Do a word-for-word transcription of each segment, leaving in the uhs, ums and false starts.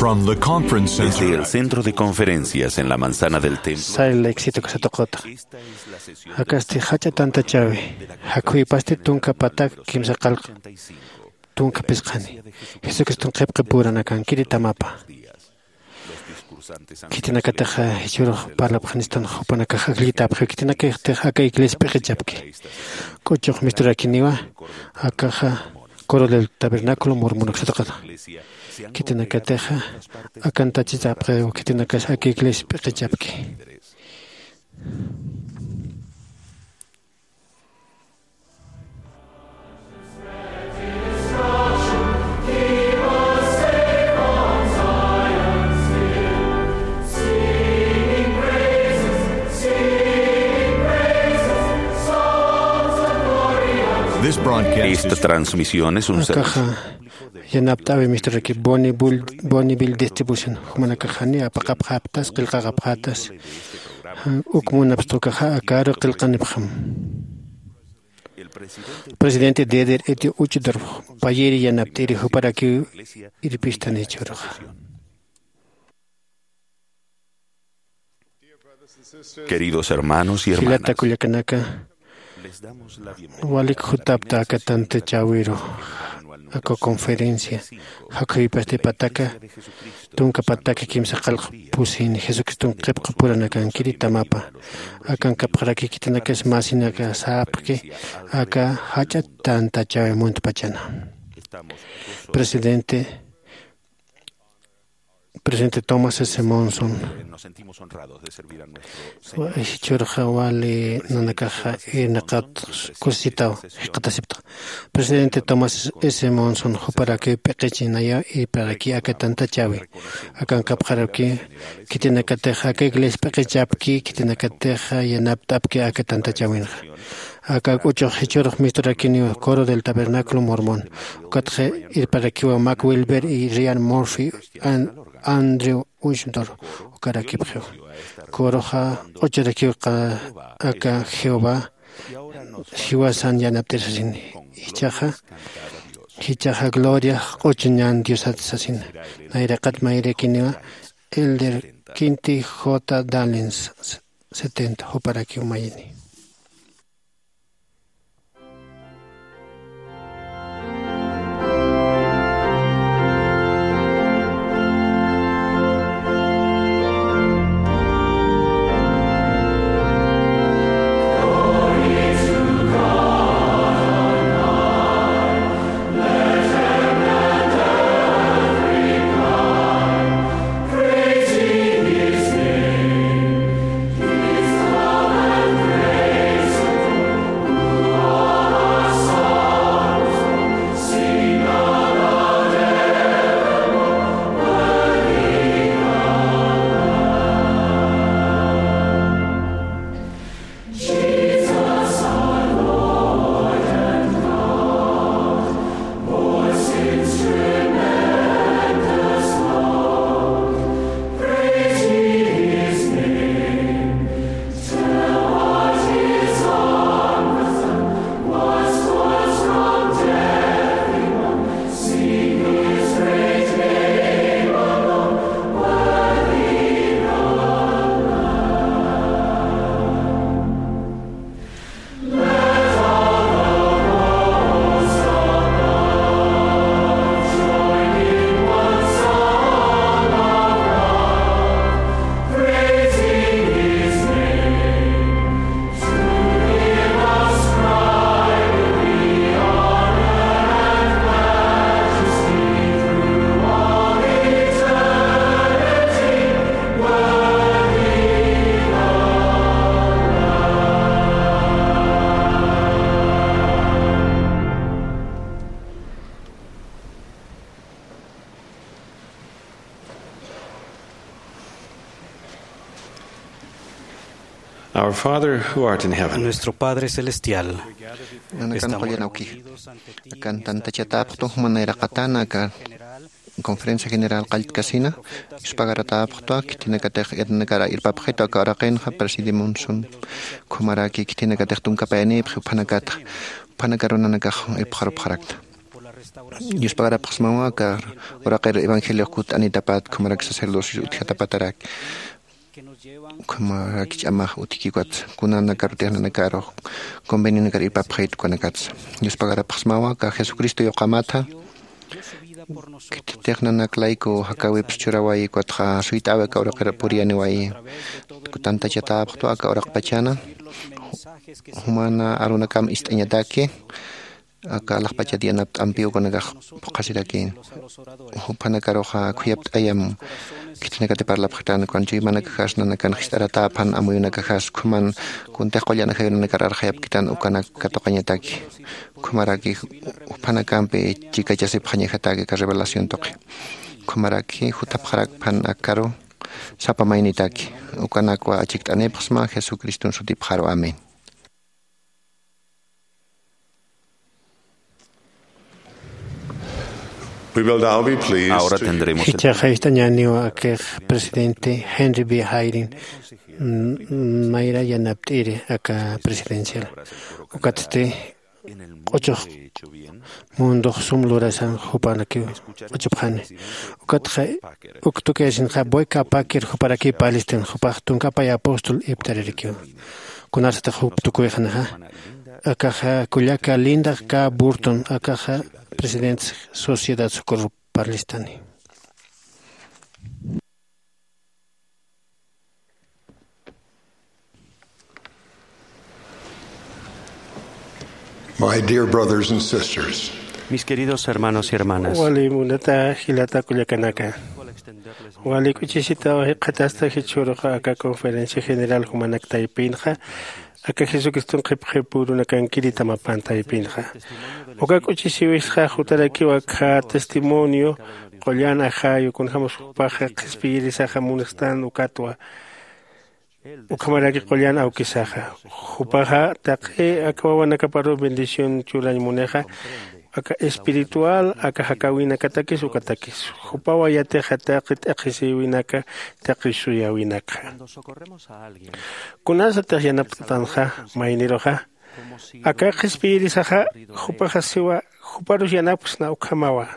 From the conference center. Desde el centro de conferencias en la manzana del templo. Sayla éxito kasatuqata. Esta es la sesión. Akasti jach'a tantachawi. Jakhuypasti tunka patak kimsa qallq tunka phisqani. Jesucriston qhipqi puranakan kiritamapa. Khitinakataxa jichhürux parlapxanistan jupanakax akllitapxiw khitinakatix aka iglesia p'iqichapki. K'uchux misturakiniwa akaxa coro del tabernáculo mormonaksataqata. Khitinakatixa akantachitapxiw khitinakas aka iglesia p'iqichapki. This broadcast is... Esta transmisión es un servicio. Akaxa yanapt'awi misturaki Bonneville, Bonneville Distribution. Jumanakaxani apaqapxaptas, qillqaqapxatas. Uk munapxta ukaxa akaru qillqanipxam. Presidente Dieter Edio Uchtdorf payiri yanapt'iri juparakiw irpistan jichhüruxa. Queridos hermanos y hermanas, jilata kullakanaka, les damos la bienvenida. Walik jutapta aka tantachäwiru, aka conferencia, jakhuypasti pataka, tunka pataka kimsa qallq pusini, Jesucriston qhipqi puranakan kiritamapa, akankapxaraki khitinakas masinaka sapxki, aka jach'a tantachäwi muntpachana. Presidente, Presidente Thomas S. Monson. Nos sentimos honrados de servir a nuestro Señor. Jichhürxa wali nanakaxa irnaqat kusisitaw jikxatasipta. Presidente Thomas S. Monson, juparakiw p'iqichinayaw irparaki aka tantachäwi. Akankapxaraki khitinakatix aka iglesia p'iqichapki, khitinakatix yanapt'apki aka tantachäwinxa. Aka k'uchux jichhürux misturakiniw coro del tabernáculo mormón. Ukatxa irparakiwa Mac Wilber y Ryan Murphy, An-, Andrew Uchtdorf ukarakipxiw. Coroxa q'uchurakiw aka Jehová jiwasan yanapt'ir sasini. Jichhaxa, jichhaxa gloria q'uchuñan Diosat sasina. Nayraqat mayrakiniwa Elder Quinty J. Dallin setenta, juparakiw mayini. Our Father who art in heaven. Nuestro Padre Celestial, nanakan estamos qullan awki, reunidos ante ti akan en esta tantachatäpxtu, juman nayraqatana aka conferencia general qalltkasina, ispagaratäpxtwa, khitinakatix irnakar irpapxitu aka uraqinxa, presidente Monson ukhamaraki, khitinakatix tunka payanïpxi, juphanakatxa, juphanakaru nanakax irpxarupxarakta. Yuspagarapxsmawa aka uraqir evangeliox kut'anitapat khumarak sacerdocio utjatapataraki. Khumarak ch'amax utjkikwat kunanakar utix nanakarux convenionakar irpapxayt ukanakatsa. Yuspagarapxsmawa aka jesucristo yuqamatha. Khititix nanak layku jakäwips churawayi ukatxa suyt'äwi aka uraqir puriyaniwayi. Tantachatäpxtwa aka uraqpachana jumana arunakam ist'añataki aka alaxpachat yanapt'ampiw ukanakax phuqhasiraki. Juphanakaruxa khuyapt'ayam khitinakati parlapxtan ukan chuymanakaxas nanakan jist'aratäpan amuyunakaxas ukhaman kuntix qullan ajayunanakar arxayapkitan ukanak katuqañataki. Ukhamaraki juphanakampi chikachasipxañajataki aka revelación tuqi. Ukhamaraki jutapxarakpan akaru sapa maynitaki. Ukanakwa achikt'anipxsma jesucriston sutipxaru amén. We will now be pleased Ahora to tendremos el Jichhaxa ist'añäniw akix presidente Henry B Hayrin, mm, mayra yanapt'iri aka presidencial. Ukatsti q'uchux mundox sum lurasan jupanakiw q'uchupxani. Ukatxa uk tukiyasinxa boy kapakir juparaki palistin jupax tunkapay apóstol iptaririkiw. Kunarsatix jup tukuyxanixa akaxa kullaka linda k burton akaxa presidente sociedad socorro parlistani. My dear brothers and sisters, Mis queridos hermanos y hermanas, wali munata jilata kullakanaka, wali k'uchisitaw jikxatasta jichhüruxa aka conferencia general jumanak taypinxa aka jesucriston qhipxipürunakankiri tamapan taypinxa. Uka k'uchisiwisxa jutarakiw akha testimonio qullan ajayu kunjämas jupaxa qhispiyirisaxa munxtan ukatwa. Ukhamaraki qullan awkisaxa jupaxa taqi aka wawanakaparuw bendición churañ munixa aka espiritual aka jakäwinakatakis ukatakis jupawa yatixa taqi t'aqhisïwinaka taqi suyäwinakxa. Kunasatix yanapt'atanxa mayniruxa aka qhispiyirisaxa jupaxa siwa juparus yanapksna ukhamawa.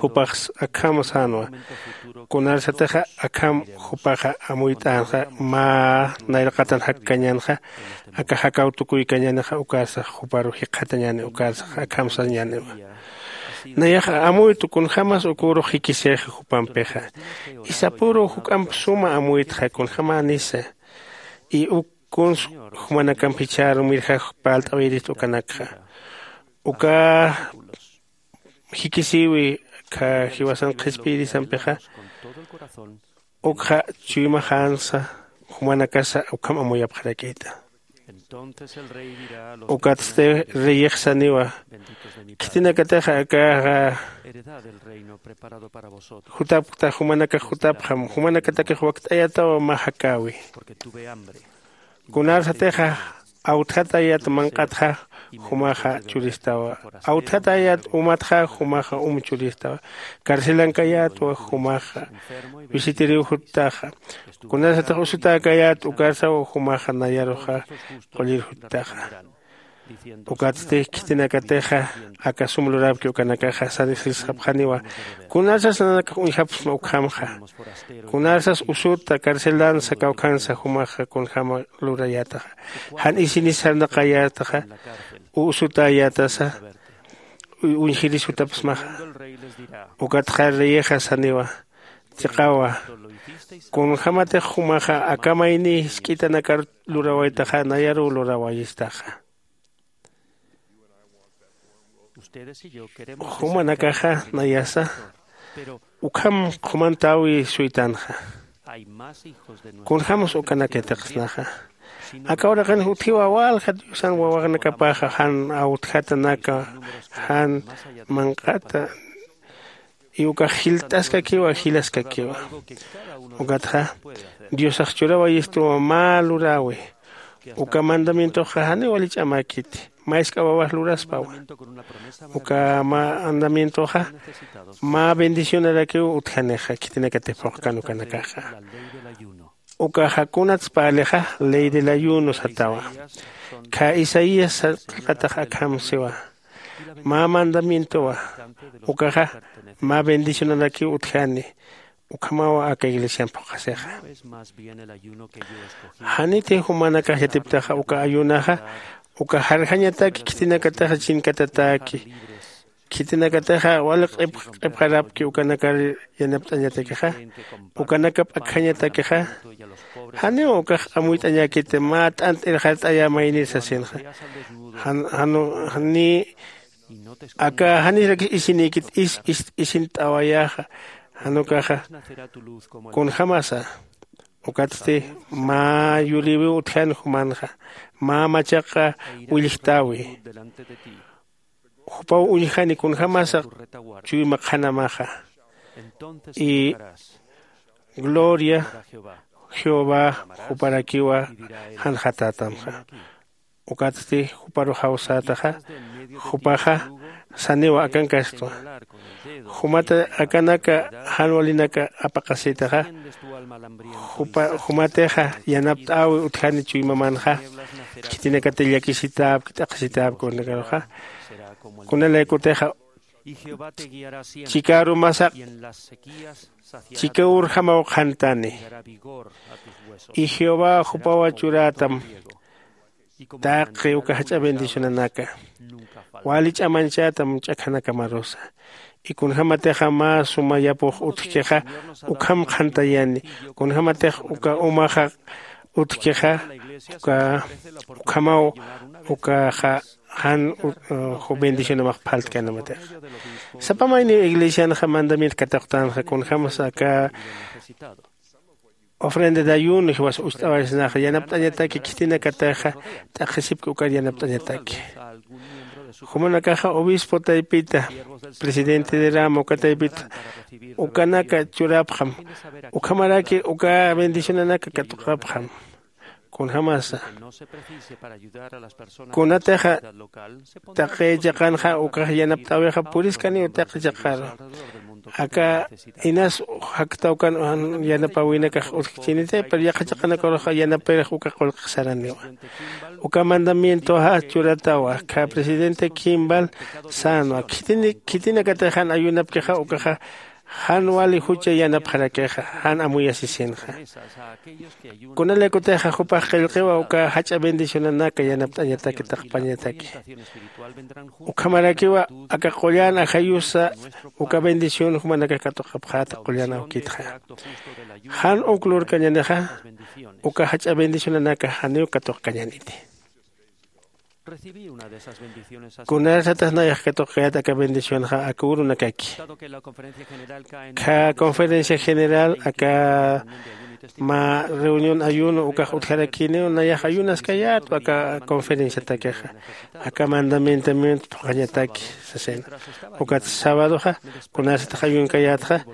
Jupax akham sänwa. Kunarsatixa akham jupaxa amuyt'änxa mä nayraqatan jakkañänxa aka jakäw tukuykañänixa ukarsax juparu jikxatañäni ukarsax akham sañäniwa. Nayaxa amuytu kunjämas ukürux jikisixi jupampixa. Isapüruw juk'amp suma amuytxa kunjämänisa. Y uk kuns jumanakamp jichhärumirjax parlt'awirist ukanakxa uka jikisïwi jiwasan qhispiyirisampixa. Ukxa chuymaxänsa jumanakasa ukham amuyapxarakïta. Ukatsti reyix saniwa khitinakatixa akaxa jutapkta jumanakax jutapxam jumanakatakix wakt'ayataw mä jakäwi. Kunarsatixa awtjatayat manq'atxa jumaxa churistawa. Awtjatayat umatxa jumaxa um churistawa. Carcelankayätwa jumaxa visitiriw juttaxa. Kunarsatix usutäkayät ukarsaw jumaxa nayaruxa qullir juttaxa. Ukatsti khitinakatixa aka sum lurapki ukanakaxa sanisisxapxaniwa. Kunarsas nanakax uñjapxsma ukhamxa. Kunarsas usuta carcelansa kawkhansa jumaxa kunjäma lurayätaxa. Jan isinis sarnaqayätaxa usutäyätasa uñjiris jutapxsmaxa. Ukatxa reyixa saniwa chiqawa. Kunjämatix jumaxa aka mayni jisk'itanakar lurawaytaxa nayaruw lurawayistaxa. Jumanakaxa nayasa ukham qhumantäwi suytanxa. Kunjämas ukanak yatiqsnaxa. Aka uraqinx utjiwa walja diosan wawanakapaxa jan awtjatanaka jan manq'ata. Y ukax jilt'askakiwa jilaskakiwa. Ukatxa diosax churawayistuwa mä luräwi. Uka mandamientoxa janiw wali ch'amäkiti. Mä isk'a wawax luraspawa. Uka mandamientoxa mä bendicionarakiw utjanixa khitinakatix phuqkan ukanakaxa. Ukaxa kunats parlixa ley del ayuno satawa. Khä isaías qillqatax akham siwa. mä mandamientowa. Ukaxa mä bendicionanakiw utjani. Ukhamawa aka iglesian phuqhasixa. Janiti jumanakax yatiptaxa uka ayunaxa uka jarjañataki khitinakataxa chinkatataki. Khitinakataxa wali q'ipxarapki ukanakar yanapt'añatakixa ukanakap akjañatakixa. Janiw ukax amuyt'añäkiti mä t'ant irxart'ayä maynir sasinxa. Janiy aka janirakis isinïkit is ist'awayäxa. Jan ukaxa kunjämasa ukatsti mä yurïwiw utjani jumanxa mä machaq willjtäwi. Jupaw uñjani kunjämasa chuyma qhanamaxa. Y gloria jehová juparakiwa janxatätamxa. Ukatsti juparux jawsätaxa jupaxa saniwa akankastwa. Jumata akanaka jan walinaka apaqasïtaxa. Jumatixa yanapt'äwi utjani chuymamanxa. Khitinakati llakisitäpki t'aqhisitäpki kunanakaruxa kunalaykutixa chikärumasaq chika urjamaw qhantani. Y jehová jupawa churätam taqi uka jach'a bendicionanaka wali ch'amañchätam ch'akhanakamarusa. Y kunjämatixa mä suma yapux utjkixa ukham qhantayani. Kunjämatix uka umaxa utjkixa uka ukhamaw ukaxa jan bendicionamax phaltkanamatixa. Sapa mayniw iglesianxa mandamiento katuqtänxa kunjämasa aka ofrenda de ayuno jiwas ucht'awaysnaxa yanapt'añataki khitinakataxa t'aqhisipki ukar yanapt'añataki. Jumanakaxa obispo taypita presidente de rama uka taypita ukanaka churapxam. Ukhamaraki uka bendicionanaka katuqapxam. Kunjämasa kunatixa taqi chiqanxa ukax yanapt'äwixa puriskaniw taqi chiqaru. Aka inas jaktawkan yanapäwinakax utjkchiniti pero yaqha chiqanakarux yanapirix uka qullqix saraniwa. Uka mandamientoxa churatawa kha presidente kimbal sänwa khitinakatix jan ayunapkixa ukaxa jan wali jucha yanapxarakixa jan amuyasisinxa. Kunalaykutixa jupax qillqiwa uka jach'a bendicionanaka yanapt'añataki taqpañataki. Ukhamarakiwa aka qullan ajayusa uka bendición jumanakax katuqapxäta qullan awkitxa. Jan uk lurkañanixa uka jach'a bendicionanaka janiw katuqkañaniti. Kunarsatix nayax katuqkayät aka bendicionxa aka urunakaki. Kha conferencia general aka mä reunión ayuno ukax utjarakiniw nayax ayunaskayätwa aka conferenciatakixa aka mandamientamiento phuqhañataki sasina. Ukat sabadoxa kunarsatix ayunkayätxa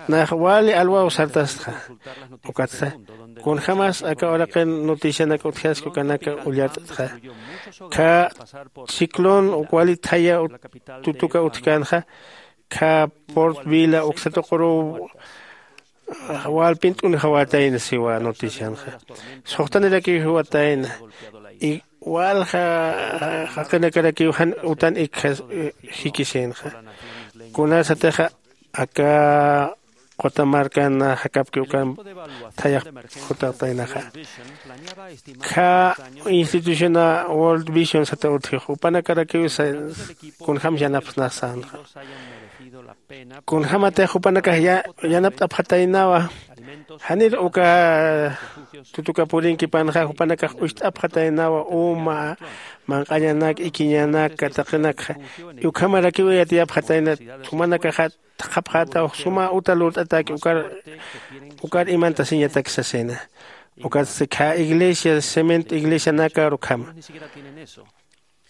nayax wali alwaw sartastxa. Ukatsa kunjämas aka uraqin noticianak utjaski ukanaka ullart'txa. Kha ciclón uk wali thaya tutuka utjkänxa kha port vila uksatuquruw walpint'unjawatayna siwa noticianxa. Suxtanirakiw jiwatayna y walja jaqinakarakiw jan utan ikja jikisïnxa. Kunasatixa aka quta markan jakapki ukan thayax jutaqtaynaxa. Kha instituciona world vision sata utjix upanakarakiw kunjämsa yanapxsnax sänxa. Kunjämatix jupanakax yanapt'apxataynawa. Janir uka tutuka purinkipanxa jupanakax ucht'apxataynawa uma manq'añanak ikiñanak taqinakxa. Ukhamarakiw yatiyapxatayna jumanakaxa thaqhapxätaw suma uta lurt'atäki ukar imantasiñatak sasina. Ukatsti khä iglesia cemento iglesianakar ukhama.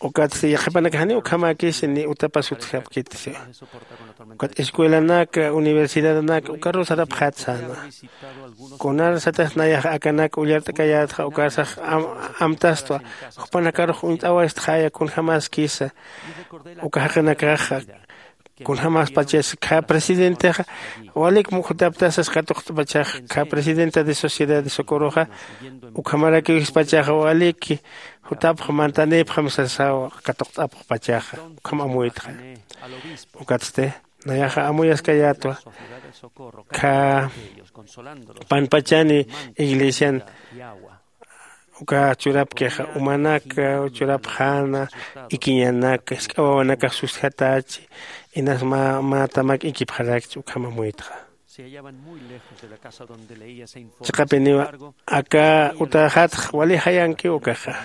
Ukatsti yaqhipanakax janiw ukhamäkisi ni utapas utjapkiti siwa. Ukat escuelanaka universidadanaka ukarus sarapxät säna. Kunarsatix nayax akanak ullart'akayätxa ukarsax amtastwa jupanakarux uñt'awaytxaya kunjämaskisa uka jaqinakaxa. Kunjämaspachas kha presidentexa walik jutaptasas katuqt'pachaxa kha presidenta de sociedad de socorroxa, ukhamarakiw jispachaxa walik jutapx mantanïpxam sasaw katuqt'apxpachaxa. Ukham amuytxa. Ukatsti nayaxa amuyaskayätwa kha panpachani iglesian uka churapkixa umanaka churapxäna ikiñanaka jisk'a wawanakax sustjatachi inas mä mä tamak ikipxarakchi ukham amuytxa. Chiqapiniwa aka utaxatx wali jayankiw ukaxa.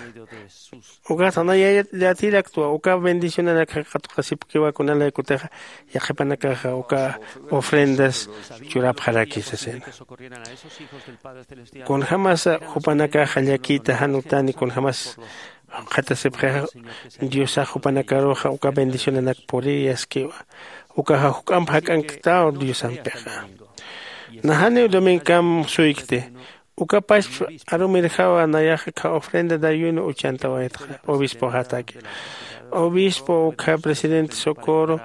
Ukax nanayatiraktwa uka bendicionanakxa katuqasipkiwa kunalaykutixa yaqhipanakaxa uka ofrendas churapxaraki sasina. Kunjämasa jupanakaxa llakïta jan utani kunjämas jukxatasipxixa diosax jupanakaruxa uka bendicionanak puriyaskiwa. Ukaxa juk'amp jak'anktaw diosampixa. Najaniw domingkam suykti. Uka pachpa arumirjawa nayaxa kha ofrenda dayuno uchantawaytxa obispoxataki. Obispo ukha presidente socorro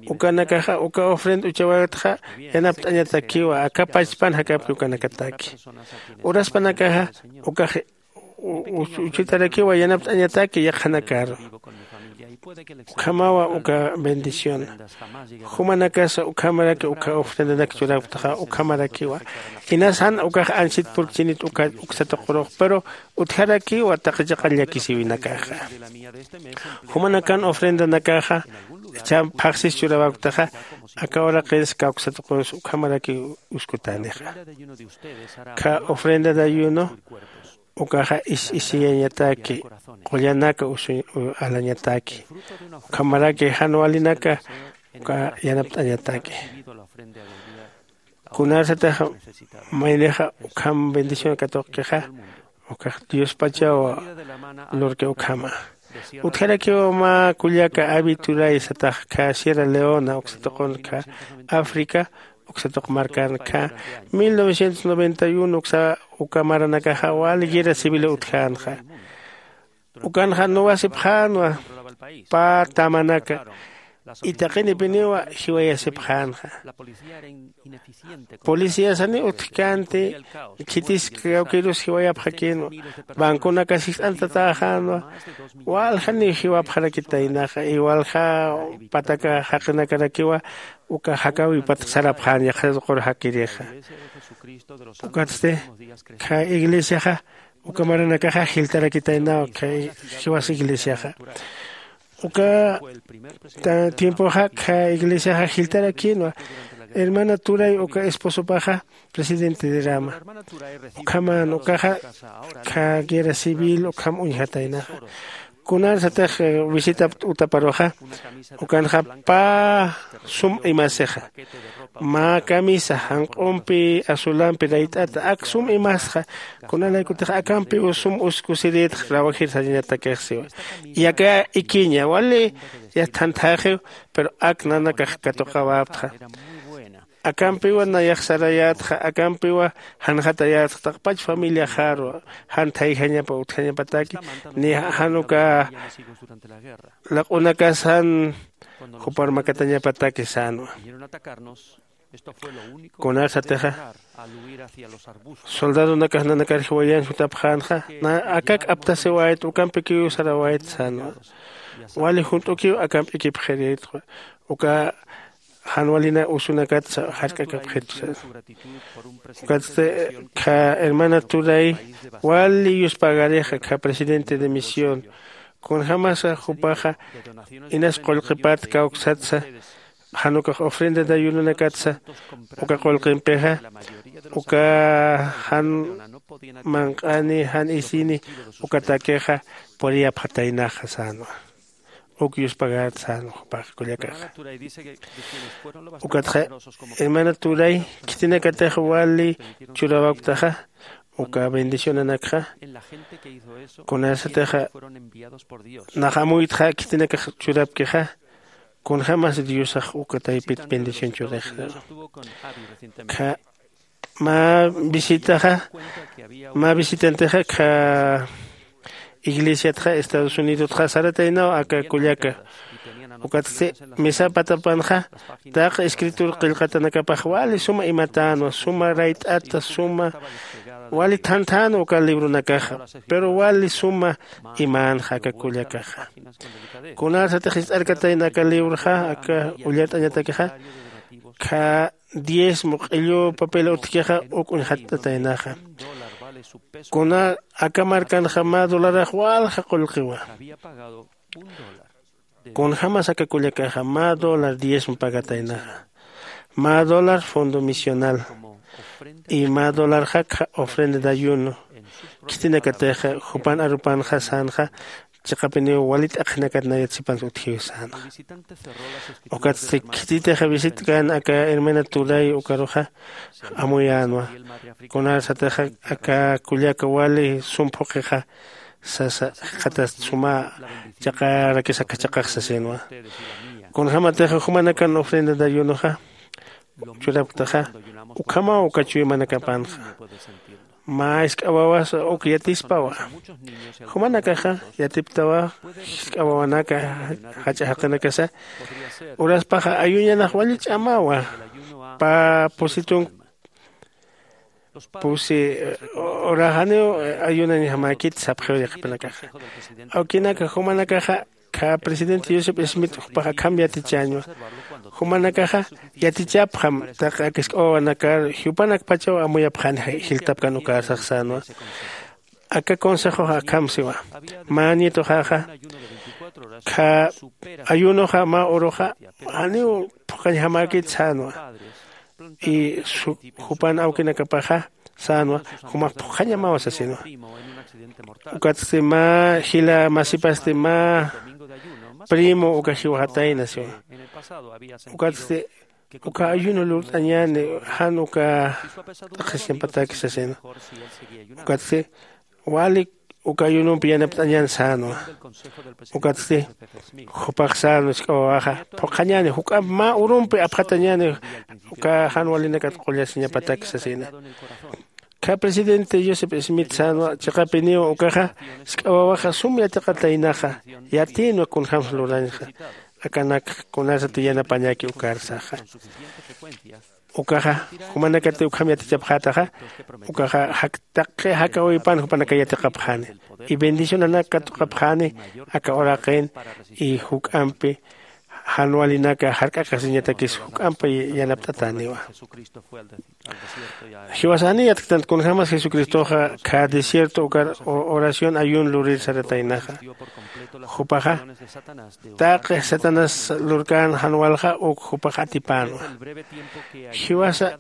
ukanakaxa uka ofrenda uchawaytxa yanapt'añatakiwa aka pachpan jakapki ukanakataki. Uraspanakaxa ukax uchitarakiwa yanapt'añataki yaqhanakaru. Ukhamawa uka bendición. Jumanakasa ukhamaraki uka ofrendanak churaktaxa ukhamarakiwa. Inas jan ukax ansit purkchinit uka uksatuqurux pero utjarakiwa taqi chiqa llakisiwinakaxa. Jumanakan ofrendanakaxa cham phaxsis churawaktaxa aka uraqins kawksatuqunsa ukhamaraki uskutänixa. Kha ofrenda dayuno ukaxa is isiyañataki qullanaka usu alañataki. Ukhamaraki jan walinaka uka yanapt'añataki. Kunarsataxa maynixa ukham bendición katuqkixa ukax diospachaw lurki ukhama. Utjarakiwa mä kullaka avi turay satax kha sierra leona uksatuqun kha africa uksatuq markan kha mil novecientos noventa y uno uksa uka maranakaxa wali guerra civil utjänxa. Ukanxa nuwasipxänwa pä tamanaka itaqinipiniwa jiwayasipxänxa. Policíasani utjkänti khitis kawkirus jiwayapxakïnwa. Banconakas jist'antatäxänwa. Waljaniw jiwapxarakitaynaxa y walja pataka jaqinakarakiwa uka jakawipat sarapxän yaqhatuqur jakirixa. Ukatsti kha iglesiaxa uka maranakaxa jiltarakitaynaw kha jiwas iglesiaxa. Uka tiempoxa kha iglesiaxa jiltarakïnwa. Hermana turay uka esposopaxa presidente de rama. Ukhaman ukaxa kha guerra civil ukham uñjataynaxa. Kunarsatax visita utaparuxa ukanxa pä sum imasixa. Mä camisa janq'umpi azulampi rayt'ata ak sum imasxa. Kunalaykutix akampiw sum uskusirïtx rawajir sañatakix siwa. Yaka ikiña wali yathanthäxiw pero ak nanakax katuqawäptxa. Akampiwa nayax sarayätxa akampiwa janxatayätxa taqpach familiaxaru jan thayjañapa utjañapataki ni jan uka laq'unakas jan jupar makatañapataki sänwa. Kunarsatixa soldadonakax nanakar jiwayan jutapxänxa akak aptasiwayt ukampikiw sarawayt sänwa. Wali junt'ukiw akamp ikipxirïtwa uka jan walina usunakatsa jark'akapxitwa sänwa. Ukatsti kha hermana turay wali yuspagarixa kha presidente de misión kunjämasa jupaxa inas qullqipat kawksatsa jan ukax ofrenda dayunonakatsa uka qullqimpixa uka jan manq'ani jan isini ukatakixa puriyapxataynaxa sänwa. Uk yuspagät sänwa jupax kullakaxa. Ukatxa hermana turay khitinakatix wali churawaktaxa uka bendicionanakxa kunasatixa nax amuytxa khitinakax churapkixa kunjämas diosax uka taypit bendición churix. Mä visitaxa mä visitantixa kha iglesiatxa estados unidotxa sarataynaw aka kullaka Ukatsti misa patapanxa taq escritur qillqatanakapax wali suma imatänwa, suma rayt'ata, suma wali thanthanwa uka libronakaxa. Pero wali suma imänxa aka kullakaxa. Kunarsatix ist'arkatayna aka libroxa, aka ullart'añatakixa, kha diezmo q'illu papel utjkixa uk uñxatt'ataynaxa. Kuna aka markanxa mä dolarax walja qullqiwa. Kunjämas aka kullakaxa mä dólar diezmo pagataynaxa, mä dólar fondo misional, y mä dolarxakxa ofrenda de ayuno. Khitinakatixa jupan arupanxa sänxa, chiqapiniw wali t'aqhinakat nayat sipansa utjiw sänxa. Ukatsti khititixa visitkan aka hermana Turay ukaruxa amuyänwa. Kunarsatixa aka kullaka wali sum phuqixa sasa, jikxatast suma chaqarakis aka chaqax sasinwa. Kunjämatixa jumanakan ofrenda de ayunoxa churapktaxa, ukhamaw uka chuymanakapanxa. Mä jisk'a wawasa uk yatispawa. Jumanakaxa yatiptawa, jisk'a wawanaka jach'a jaqinakasa uraspaxa ayuñanax wali ch'amawa. Pä pusitun pusi, eh, uraxaniw, eh, ayunañjamäkit sapxiw yaqhipanakaxa. Awkinaka jumanakaxa kha presidente Joseph Smith jupax akham yatichäñwa. Jumanakaxa yatichapxam taq aka jisk'a wawanakar jiwapanakpachaw amuyapxani jiltapkan ukarsax sänwa. Aka consejoxa akham siwa. Mä nietuxaxa kha ayunoxa mä uruxa janiw phuqhañjamäkit sänwa. Y jupan awkinakapaxa sänwa, jumax phuqhañamawa sasinwa. Ukatsti mä jila masipasti mä primo uka jiwxatayna siwa. Ukatsti uka ayuno lurt'añäni, jan uka t'aqhisiñapataki sasinwa. Ukatsti wali uka ayunompi yanapt'añäni sänwa. Ukatsti jupax sänwa jisk'a wawaxa, phuqhañäni, juk'amp mä urumpi apxatañäni uka jan walinakat qullasiñapataki sasina. Kha presidente Joseph Smith sänwa, chiqapiniw ukaxa jisk'a wawaxa sum yatiqataynaxa, yatïnwa kunjämsa lurañxa. Akanak kunasati yanapañäki ukarsaxa. Ukaxa jumanakati ukham yatichapxätaxa, ukaxa jak taqi jakawipan jupanaka yatiqapxani y bendicionanak katuqapxani aka uraqin. Y juk'ampi jan walinaka jark'aqasiñatakis juk'ampi yanapt'atäniwa. Jiwasani yatktant kunjämas Jesucristoxa kha desierto ukar oración ayuno lurir sarataynaxa. Jupaxa taqi Satanás lurkän jan walxa uk jupax atipänwa. Jiwasa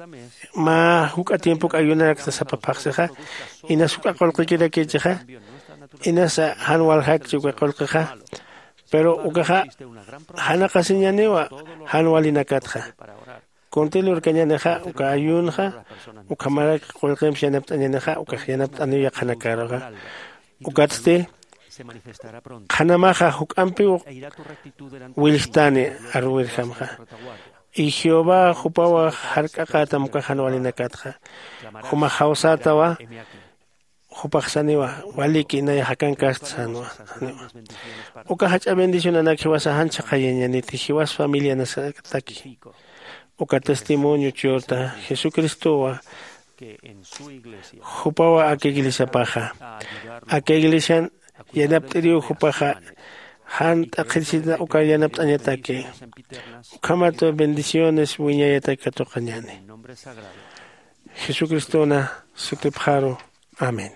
mä juk'a tiempok ayunarakta sapa phaxsixa, inas juk'a qullqikirakichixa, inasa jan waljakchi uka qullqixa. Pero ukaxa janaqasiñäniwa jan walinakatxa. Kunti lurkañänixa uka ayunxa, ukhamarak qullqimps yanapt'añänixa ukax yanapt'aniw yaqhanakaruxa. Ukatsti qhanamaxa juk'ampiw willjtani aruwirjamxa. Y jehová jupawa jark'aqätam uka jan walinakatxa. Jumax jawsätawa, jupax saniwa, waliki nayax akankast sänwa. Uka jach'a bendicionanak jiwasa jan chhaqhayañäniti jiwas familianasataki. Uka testimonio churta jesucristowa jupawa aka iglesiapaxa, aka iglesian yanapt'iriw jupaxa jan t'aqhisita uka yanapt'añataki. Ukhamat bendiciones wiñayataki katuqañäni jesucristona sutipxaru. Amén.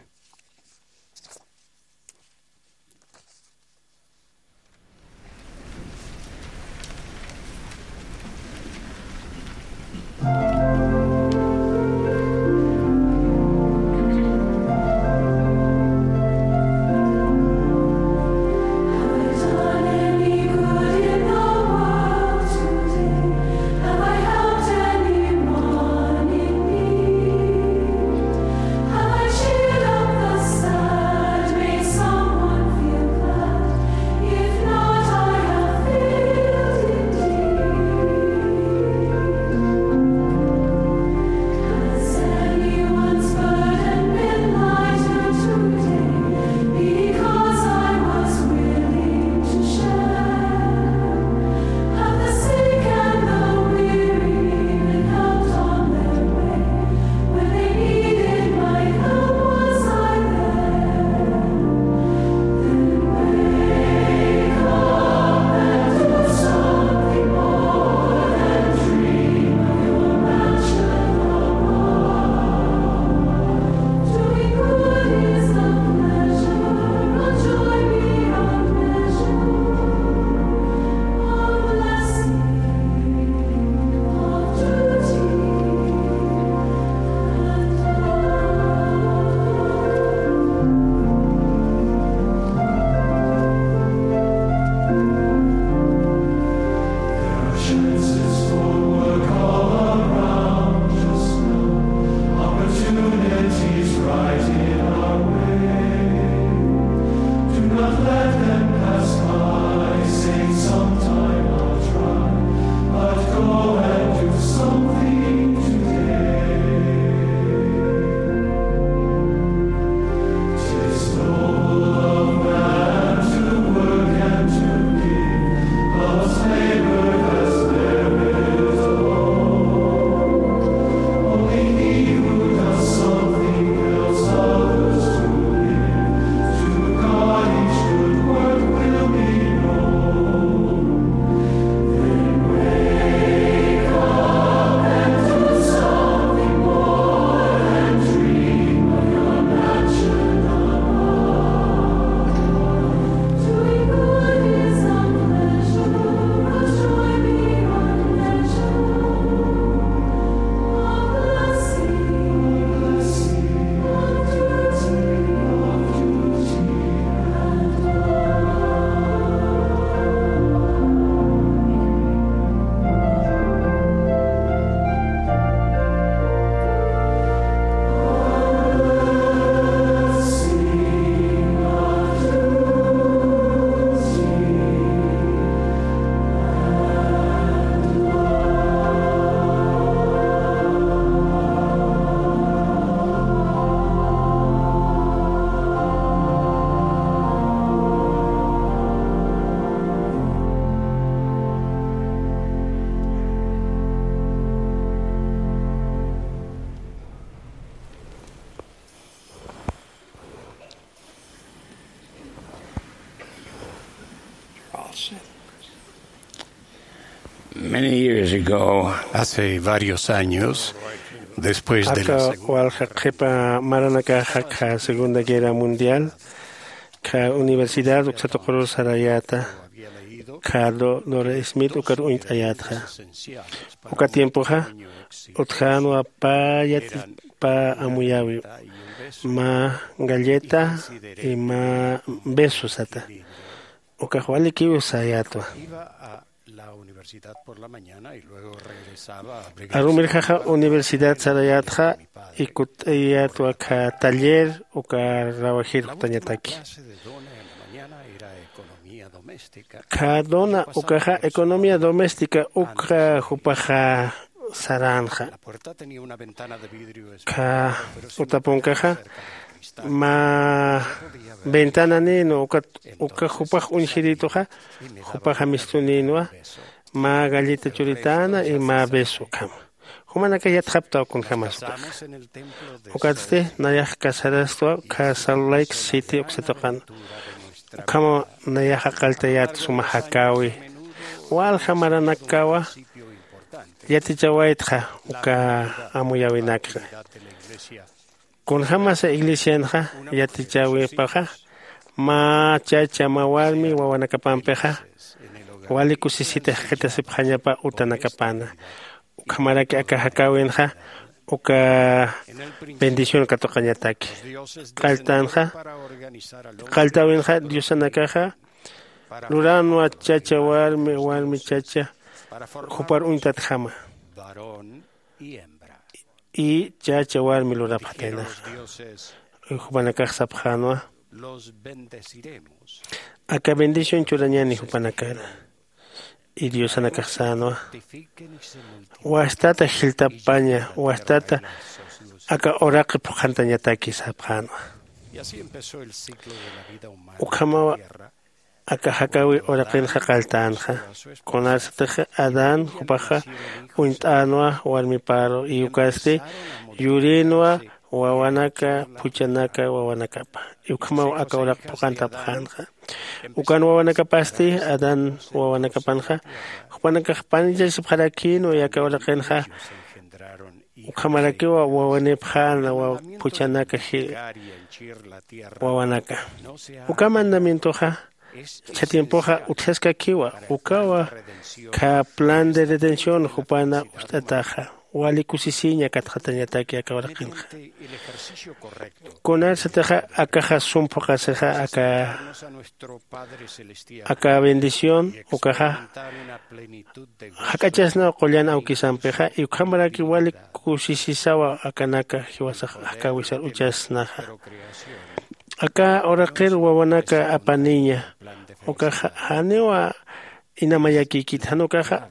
Many years ago, hace varios años, después de la aka segunda walja qhipa maranakaxa kha segunda guerra mundial, kha universidad uksa tuqurur sarayäta, kha Do- dora smith ukar uñt'ayätxa. Uka tiempoxa utjänwa pä yatichpa amuyäwiw, mä galleta y mä beso sata. Ukax walikiw sayätwa. Arumirjaxa universidad sarayätxa, y kutt'ayätwa kha taller uka rawajir jutañataki. Kha dona ukaxa economía doméstica ukxa jupaxa saränxa. Kha utapunkaxa mä ventana nïnwa uka, uka jupax uñjirïtuxa jupaxa mistu nïnwa, mä galleta churitäna y mä beso ukhama. Jumanakax yatxaptaw kunjämas ukaxa. Ukatsti nayax casarastwa kha Salt Lake City uksa tuqan. Ukhamaw nayaxa qalltayät suma jakäwi. Walja maranakawa yatichawaytxa uka amuyäwinakxa. Kunjämasa iglesianxa yatichäwipaxa, mä chacha mä warmi wawanakapampixa wali kusisita jikxatasipxañapa utanakapana. Ukhamaraki aka jakäwinxa uka bendición katuqañataki. Qalltanxa qalltäwinxa diosanakaxa luränwa chacha warmi warmi chacha jupar uñtatjama, y chacha warmi lurapxataynaxa. Jupanakax sapxänwa, aka bendición churañäni jupanakara. Y diosanakax sänwa, wastata jiltapaña, wastata aka uraqi phuqhantañataki sapxänwa. Ukhamawa aka jakäwi uraqinxa qalltänxa. Kunarsatix adán jupaxa uñt'änwa warmiparu y ukasti yurïnwa wawanaka phuchanaka wawanakapa. Ukhamaw aka uraq phuqantapxänxa. Ukan wawanakapasti adán wawanakapanxa jupanakax panichasipxarakïnwa aka uraqinxa. Ukhamarakiwa wawanipxäna phuchanaka wawanaka. Uka mandamientoxa jichha tiempoxa utjaskakiwa. Ukawa kha plan de redención jupana ucht'ataxa wali kusisiña katxatañataki aka uraqinxa. Kunarsatixa akaxa sum phuqasixa aka aka bendición ukaxa jak'achasnaw qullan awkisampixa y ukhamaraki wali kusisisawa akanaka jiwasax jakäwisar uchasnaxa. Aka uraqir wawanaka apaniña ukaxa janiwa inamayakïkit jan ukaxa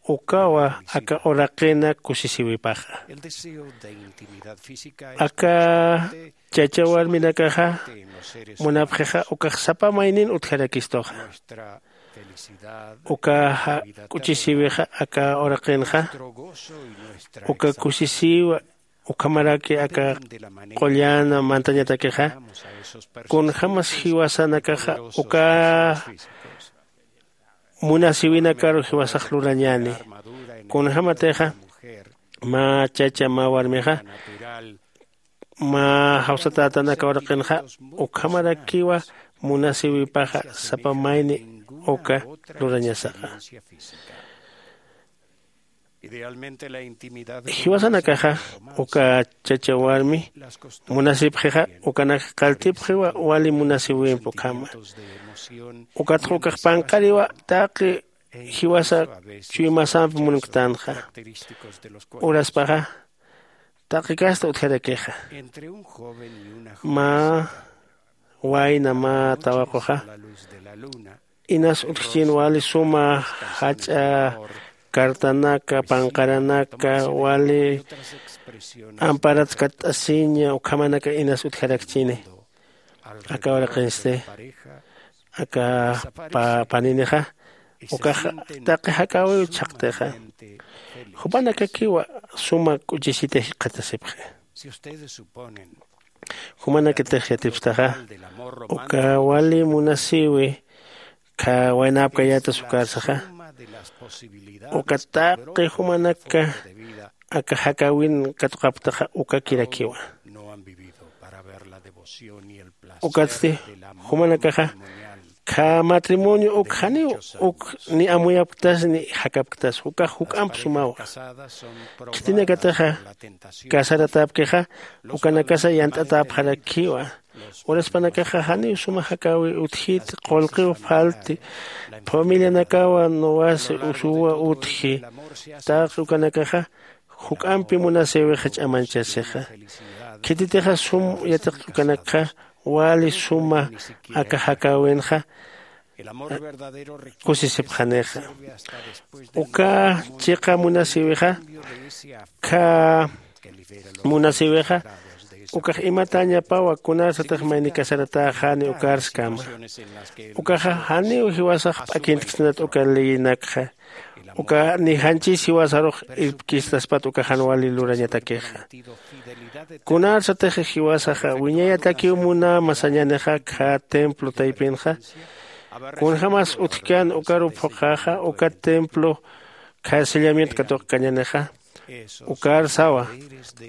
ukawa aka uraqina kusisiwipaxa. Aka chacha warminakaxa munapxixa ukax sapa maynin utjarakistuxa. Uka jak'uchisiwixa aka uraqinxa uka kusisiwa ukhamaraki aka qullan mantañatakixa kunjämas jiwasanakaxa uka munasiwinakaru jiwasax lurañäni. Kunjämatixa mä chacha mä warmixa mä jawsatätan aka uraqinxa ukhamarakiwa munasiwipaxa sapa mayni uka lurañasaxa. Jiwasanakaxa uka chacha warmi munasipxixa ukanak qalltipxiwa wali munasiwimp ukhama. Ukatxa ukax panqariwa taqi jiwasa chuymasamp munktanxa. Uraspaxa taqi kasta utjarakixa. Mä wayna mä tawaquxa inas utjchin wali suma jach'a cartanaka panqaranaka wali amparat katt'asiña ukhamanaka inas utjarakchini. Aka uraqinsti aka paninixa ukax taqi jakäwiw chhaqtixa. Jupanakakiwa suma k'uchisita jikxatasipxi. Jumanakatix yatipstaxa uka wali munasiwi Kha waynäpkayätas ukarsaxa, uka taqi jumanaka aka jakäwin katuqapktaxa ukakirakiwa. Ukatsti jumanakaxa kha matrimonio uk janiw uk ni amuyapktas ni jakapktas ukax juk'amp sumawa. Khitinakataxa casaratäpkixa ukanakasa yant'atäpxarakiwa. Uraspanakaxa janiw suma jakäwi utjiti qullqiw falti familianakawa nuwasi usuwa utji. Taqi ukanakaxa juk'ampi munasïwixa ch'amañchasixa. Khititixa sum yatiq ukanakxa wali suma aka jakäwinxa kusisipxanixa. Uka chiqa munasïwixa kha munasïwixa ukax imatäñapawa kunarsatix mayni casaratäxani ukarskama. Ukaxa janiw jiwasax p'akintksnat uka leyinakxa uka ni janchis jiwasarux irpkistaspat uka jan wali lurañatakixa. Kunarsatix jiwasaxa wiñayatakiw munäma sañänixa kha templo taypinxa kunjämas utjkän ukaruw phuqhaxa uka templo kha sellamiento katuqkañänixa. Ukar sawa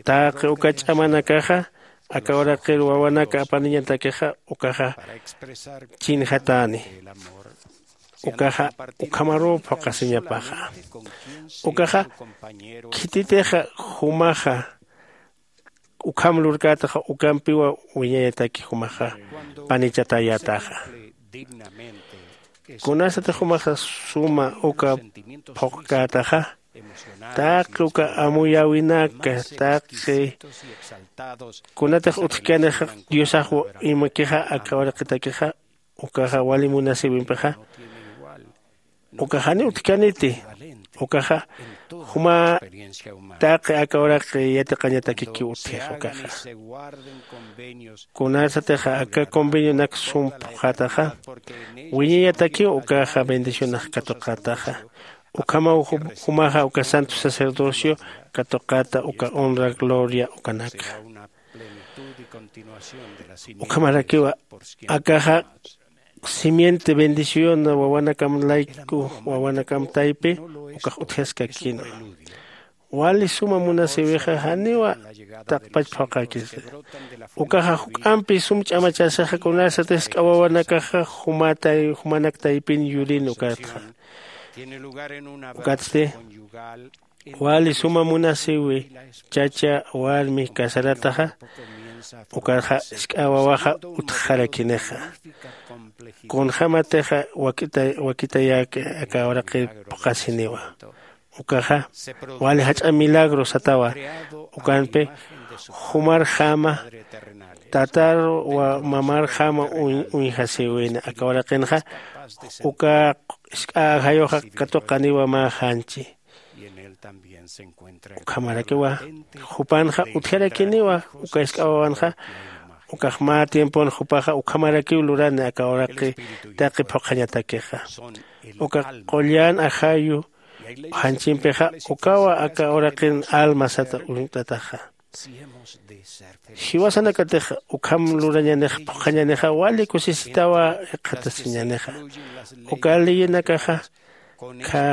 taqi uka ch'amanakaxa aka uraqir wawanaka apaniñatakixa ukaxa chinjatäni. Ukaxa ukhamaruw phuqhasiñapaxa. Ukaxa khititixa jumaxa ukham lurkätaxa ukampiwa wiñayataki jumaxa panichatäyätaxa. Kunasatix jumaxa suma uka phuqkätaxa taqi uka amuyäwinaka taqi kunatix utjkänix diosax imakixa aka uraqitakixa ukaxa wali munasïwimpixa ukax janiw utjkäniti. Ukaxa juma taqi aka uraqi yatiqañatakikiw utjix ukaxa. Kunasatixa aka convenionak sum phuqhataxa wiñayatakiw ukaxa bendicionax katuqataxa. Ukhamaw jumaxa uka santo sacerdocio katuqata uka honra gloria ukanakxa. Ukhamarakiwa akaxa simiente bendición wawanakam layku wawanakam taypi ukax utjaskakina. Wali suma munasïwixa janiwa taqpach phuqhakisa. Ukaxa juk'ampi sum ch'amachasixa kunasatix jisk'a wawanakaxa jumanak taypin yurin ukatxa. Ukatsti wali suma munasïwi chacha warmi casarataxa ukaxa jisk'a wawaxa utjxarakinixa. Kunjämatixa wakitayäki aka uraqir phuqhasiniwa. Ukaxa wali jach'a milagro satawa. Ukampi jumarjama tatar mamarjama uñjasïwini aka uraqinxa uka jisk'a ajayuxa katuqaniwa mä janchi. Ukhamarakiwa jupanxa utjarakiniwa uka jisk'a wawanxa. Ukax mä tiempon jupaxa ukhamarakiw lurani aka uraqi taqi phuqhañatakixa. Uka qullan ajayu janchimpixa ukawa aka uraqin alma sata uñt'ataxa. Jiwasanakatixa ukham lurañanix phuqhañanixa wali kusisitawa iqhatasiñanixa. Uka leyinakaxa kha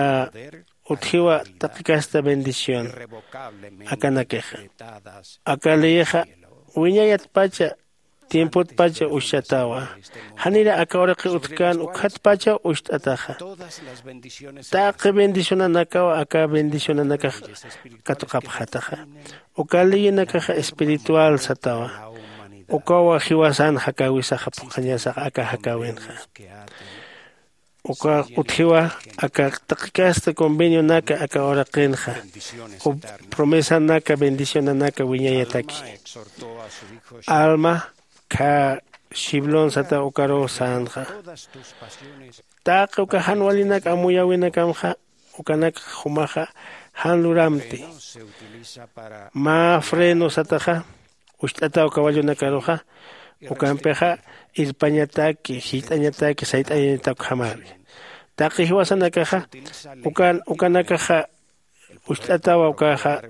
utjiwa taqi kasta bendición akanakixa. Aka leyixa wiñayatpacha tiempotpacha ushatawa. Janira aka uraqi utjkän ukhatpachaw usht'ataxa. Taqi bendicionanakaw aka bendicionanakax katuqapxataxa. Uka leyinakaxa espiritual satawa. Ukawa jiwasan jakäwisaxa phuqhañasaxa aka jakäwinxa. Uka utjiwa aka taqi kasta convenionaka aka uraqinxa u promesanaka bendicionanaka wiñayataki. Alma kha shiblon sata ukaruw sänxa. Taqi uka jan walinak amuyäwinakamxa ukanak jumaxa jan luramti. Mä freno sataxa ucht'ataw caballonakaruxa. Ukampixa irpañataki jillt'añataki sayt'ayañatak ukhamari. Taqi jiwasanakaxa ukanakaxa Ucht'atawa ukaxa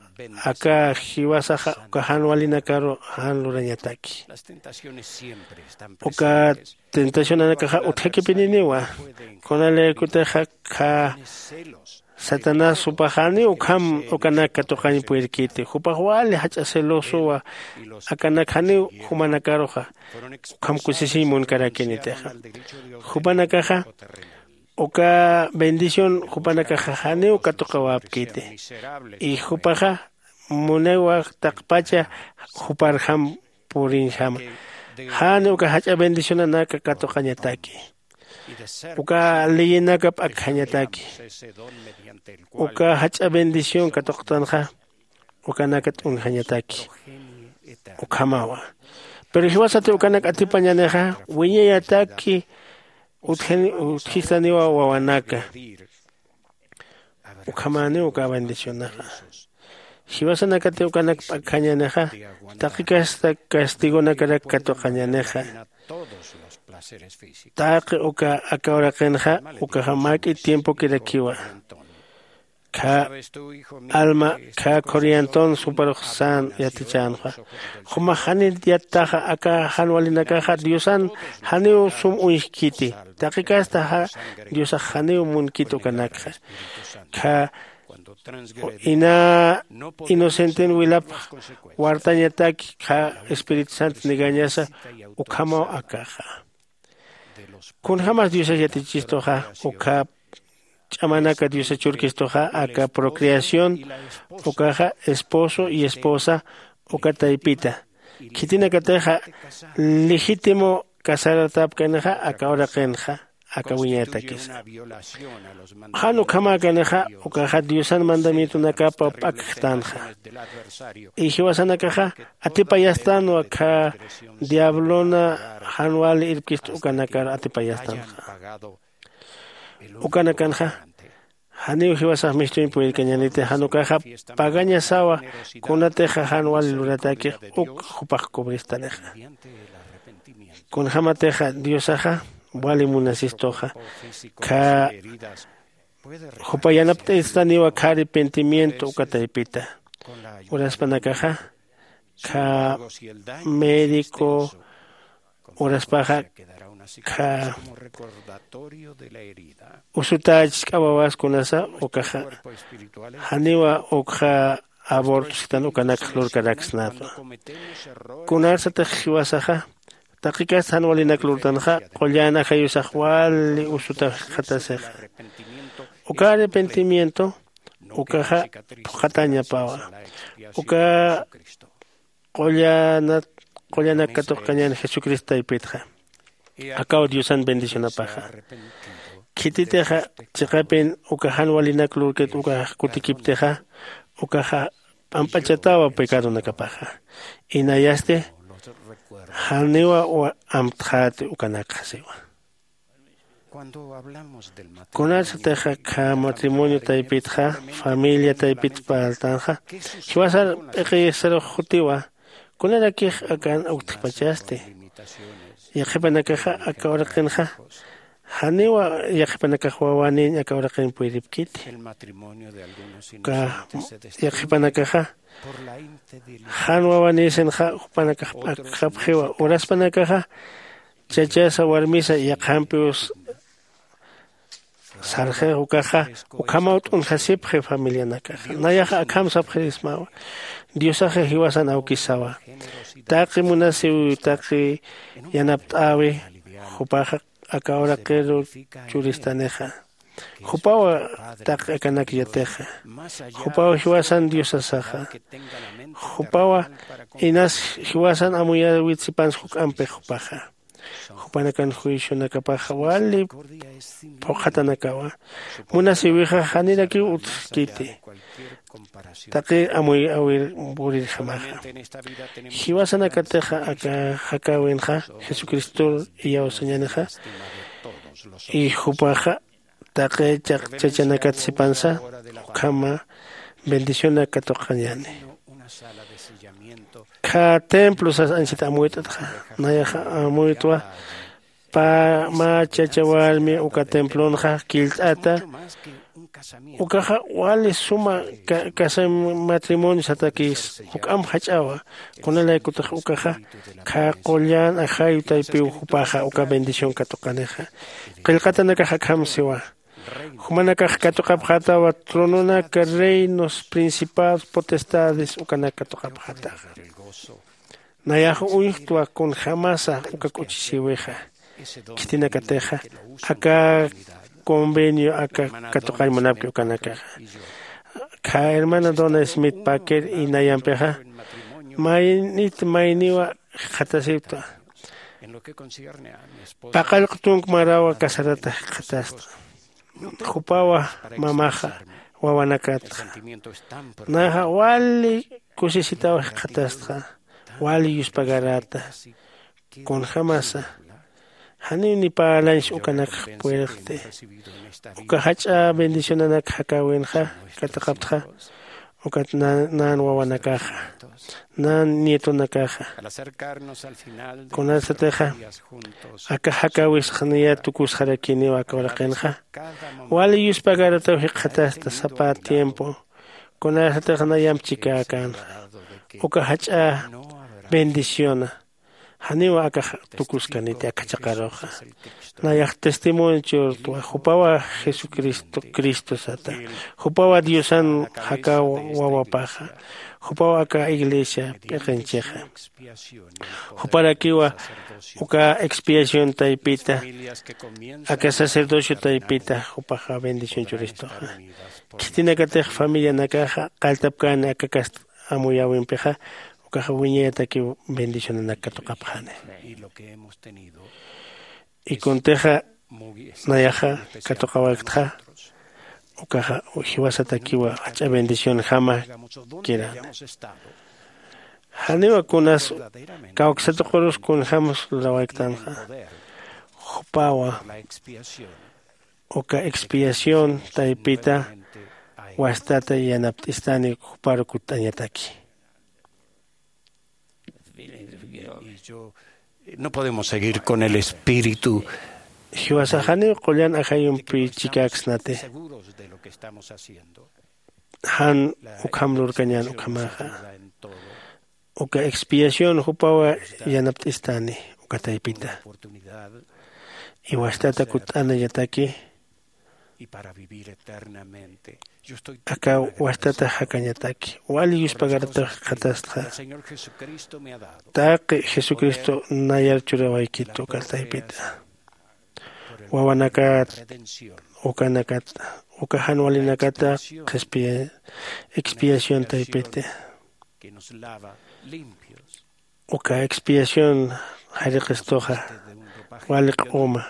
aka jiwasaxa uka jan walinakaru jan lurañataki. Uka tentacionanakaxa utjakipininiwa. Kunalaykutixa kha satanás jupaxani ukham ukanak katuqañ puyrkiti jupax wali jach'a celosowa. Akanak janiw jumanakaruxa ukham kusisiñ munkarakinitixa. Jupanakaxa uka bendición jupanakaxa janiw katuqawapkiti. Y jupaxa muniwa taqpacha juparjam puriñjama. Jani uka jach'a bendicionanaka katuqañataki. Uka leyinaka p'akjañataki. Uka jach'a bendición katuqtanxa ukanaka t'unjañataki. Ukhamawa. Pero jiwasati ukanak atipañanixa wiñayataki utjistaniwa wawanaka. Ukhamäniw uka bendicionaxa. Jiwasanakati ukanak p'akjañanixa taqi kasta castigonakarak katuqañanixa. Taqi uka aka uraqinxa ukaxa mäk'i tiempokirakiwa. Kha alma kha khuriyantun suparux sän yatichänxa. Jumax janit yattaxa aka jan walinakaxa diosan janiw sum uñjkiti. Taqi kasta diosax janiw munkit ukanakxa. Kha ina inocenten wilapx wartañataki kha espíritu santo negañasa. Ukhamaw akaxa kunjämas diosas yatichistuxa ukhap ch'amanaka diosa churkistuxa aka procreación ukaxa esposo y esposa uka taypita khitinakatixa legítimo casartapkanixa aka uraqinxa aka wiñayatakisa. Jan ukhamäkanixa ukaxa diosan mandamientonakapa p'akjtanxa. Y jiwasanakaxa atipayastänwa kha diablona jan wali irpkist ukanakar atipayastänxa. Ukanakanxa janiw jiwasax mistuñ puyirkañaniti jan ukaxa pagañasawa. Kunatixa jan wali luratakix uk jupax cubristanixa. Kunjämatixa diosaxa wali munasistuxa kha jupa yanapt'istaniwa kha arrepentimiento uka taypita. Uraspanakaxa kha médico uraspaxa kha usutächisk'awawas kunasa ukaxa janiwa ukxa aborto sitan ukanakx lurkaraksnatwa. Kunarsatix jiwasaxa taqi kasta jan walinak lurtanxa qullan ajayusax wali usuta jikxatasixa. Uka arrepentimiento ukaxa phuqhatañapawa. Uka qullanat qullanak katuqkañän jesucristo taypitxa. Akaw diosan bendicionapaxa. Khititixa chiqapin uka jan walinak lurkit ukax kutikiptixa ukaxa p'amp'achatawa pecadonakapaxa. Inayasti janiwa amtxäti ukanakxa siwa. Kunasatix akha matrimonio taypitxa familia taypit parltanxa jiwasar p'iqiyisarux jutiwa. Kunarakix akan uktjpachasti yaqhipanakaxa aka uraqinxa janiwa yaqhipanakax wawanïñ aka uraqin puyripkiti. Uka yaqhipanakaxa jan wawanïsinxa jupanakax p'akjapxiwa uraspanakaxa chachasa warmisa yaqhampiw sarxix ukaxa ukhamaw t'unjasipxi familianakaxa nayaxa akham sapxirismawa. Diosaxa jiwasan awkisawa taqi munasiw taqi yanapt'äwi jupaxa aka uraqiru churistanixa. Jupawa taqi akanak yatixa jupaw jiwasan diosasaxa. Jupawa inas jiwasan amuyawit sipansa juk'ampix jupaxa. Jupanakan juicionakapaxa wali phuqhatanakawa. Munasiwixa janirakiw utjkiti taqi amuyawir purirjamaxa. Jiwasanakatixa aka jakäwinxa jesucristor iyawsañänixa. Y jupaxa taqi chachanakat sipansa ukhama bendicionak katuqañäni. Kha templo sas anchhit amuyt'atxa nayaxa amuytwa. Mä chacha warmi uka templonxa killt'ata Ukaxa wali suma casamiento matrimonio satakis juk'amp jach'awa. Kunalaykutix ukaxa khä qullan ajayu taypiw jupaxa uka bendición katuqanixa. Qillqatanakax akham siwa. Jumanakax katuqapxätawa trononak reinos principados potestades ukanak katuqapxätaxa. Nayax uñjtwa kunjämasa uka k'uchisïwixa. Khitinakatixa aka convenio aka katuqañ munapki ukanakaxa. Khä hermana dona smith packer y nayampixa maynit mayniwa jikxatasiwta. Paqallq tunk marawa casarata jikxatasta. Jupawa mamaxa wawanakatxa. Naxa wali kusisitaw jikxatastxa. Wali yuspagarata. Kunjämasa janiw ni parlañs ukanakx puerqti. Uka jach'a bendicionanak jakäwinxa katuqaptxa. Ukat nan wawanakaxa nan nietonakaxa. Kunasatixa aka jakäwisx niyat tukusxarakiniw aka uraqinxa. Wali yuspagarataw jikxatasta sapa tiempo. Kunasatix nayamp chikäkänxa uka jach'a bendiciona. Janiw akax tukuskaniti aka chaqaruxa. Nayax testimonio churtwa jupawa jesucristo cristo sata. Jupawa diosan jakaw wawapaxa. Jupawa aka iglesia p'iqinchixa. Juparakiwa uka expiación taypita aka sacerdocio taypita jupaxa bendición churistuxa. Khitinakatix familianakaxa qalltapkäni aka kast amuyäwimpixa. Ukaxa wiñayatakiw bendicionanak katuqapxani. Y kuntixa nayaxa katuqawaktxa ukaxa jiwasatakiwa jach'a bendicionjama kirani. Janiwa kunas kawksatuqurus kunjämsa lurawayktänxa. Jupawa uka expiación taypita wastata yanapt'istani juparu kutt'añataki. No podemos seguir con el espíritu. Jiwasax janiw qullan ajayumpi chikäksnati. Jan ukham lurkañän ukhamaxa. Uka expiación jupawa yanapt'istani uka taypita. Iwastata kutt'anañataki. Aka wastata jakañataki wali yuspagarataw jikxatastxa. Taqi jesucristo nayar churawaykit uka taypita. Wawanakat ukanakat uka jan walinakata qhispiya expiación taypiti. Uka expiación jariqistuxa wali q'uma.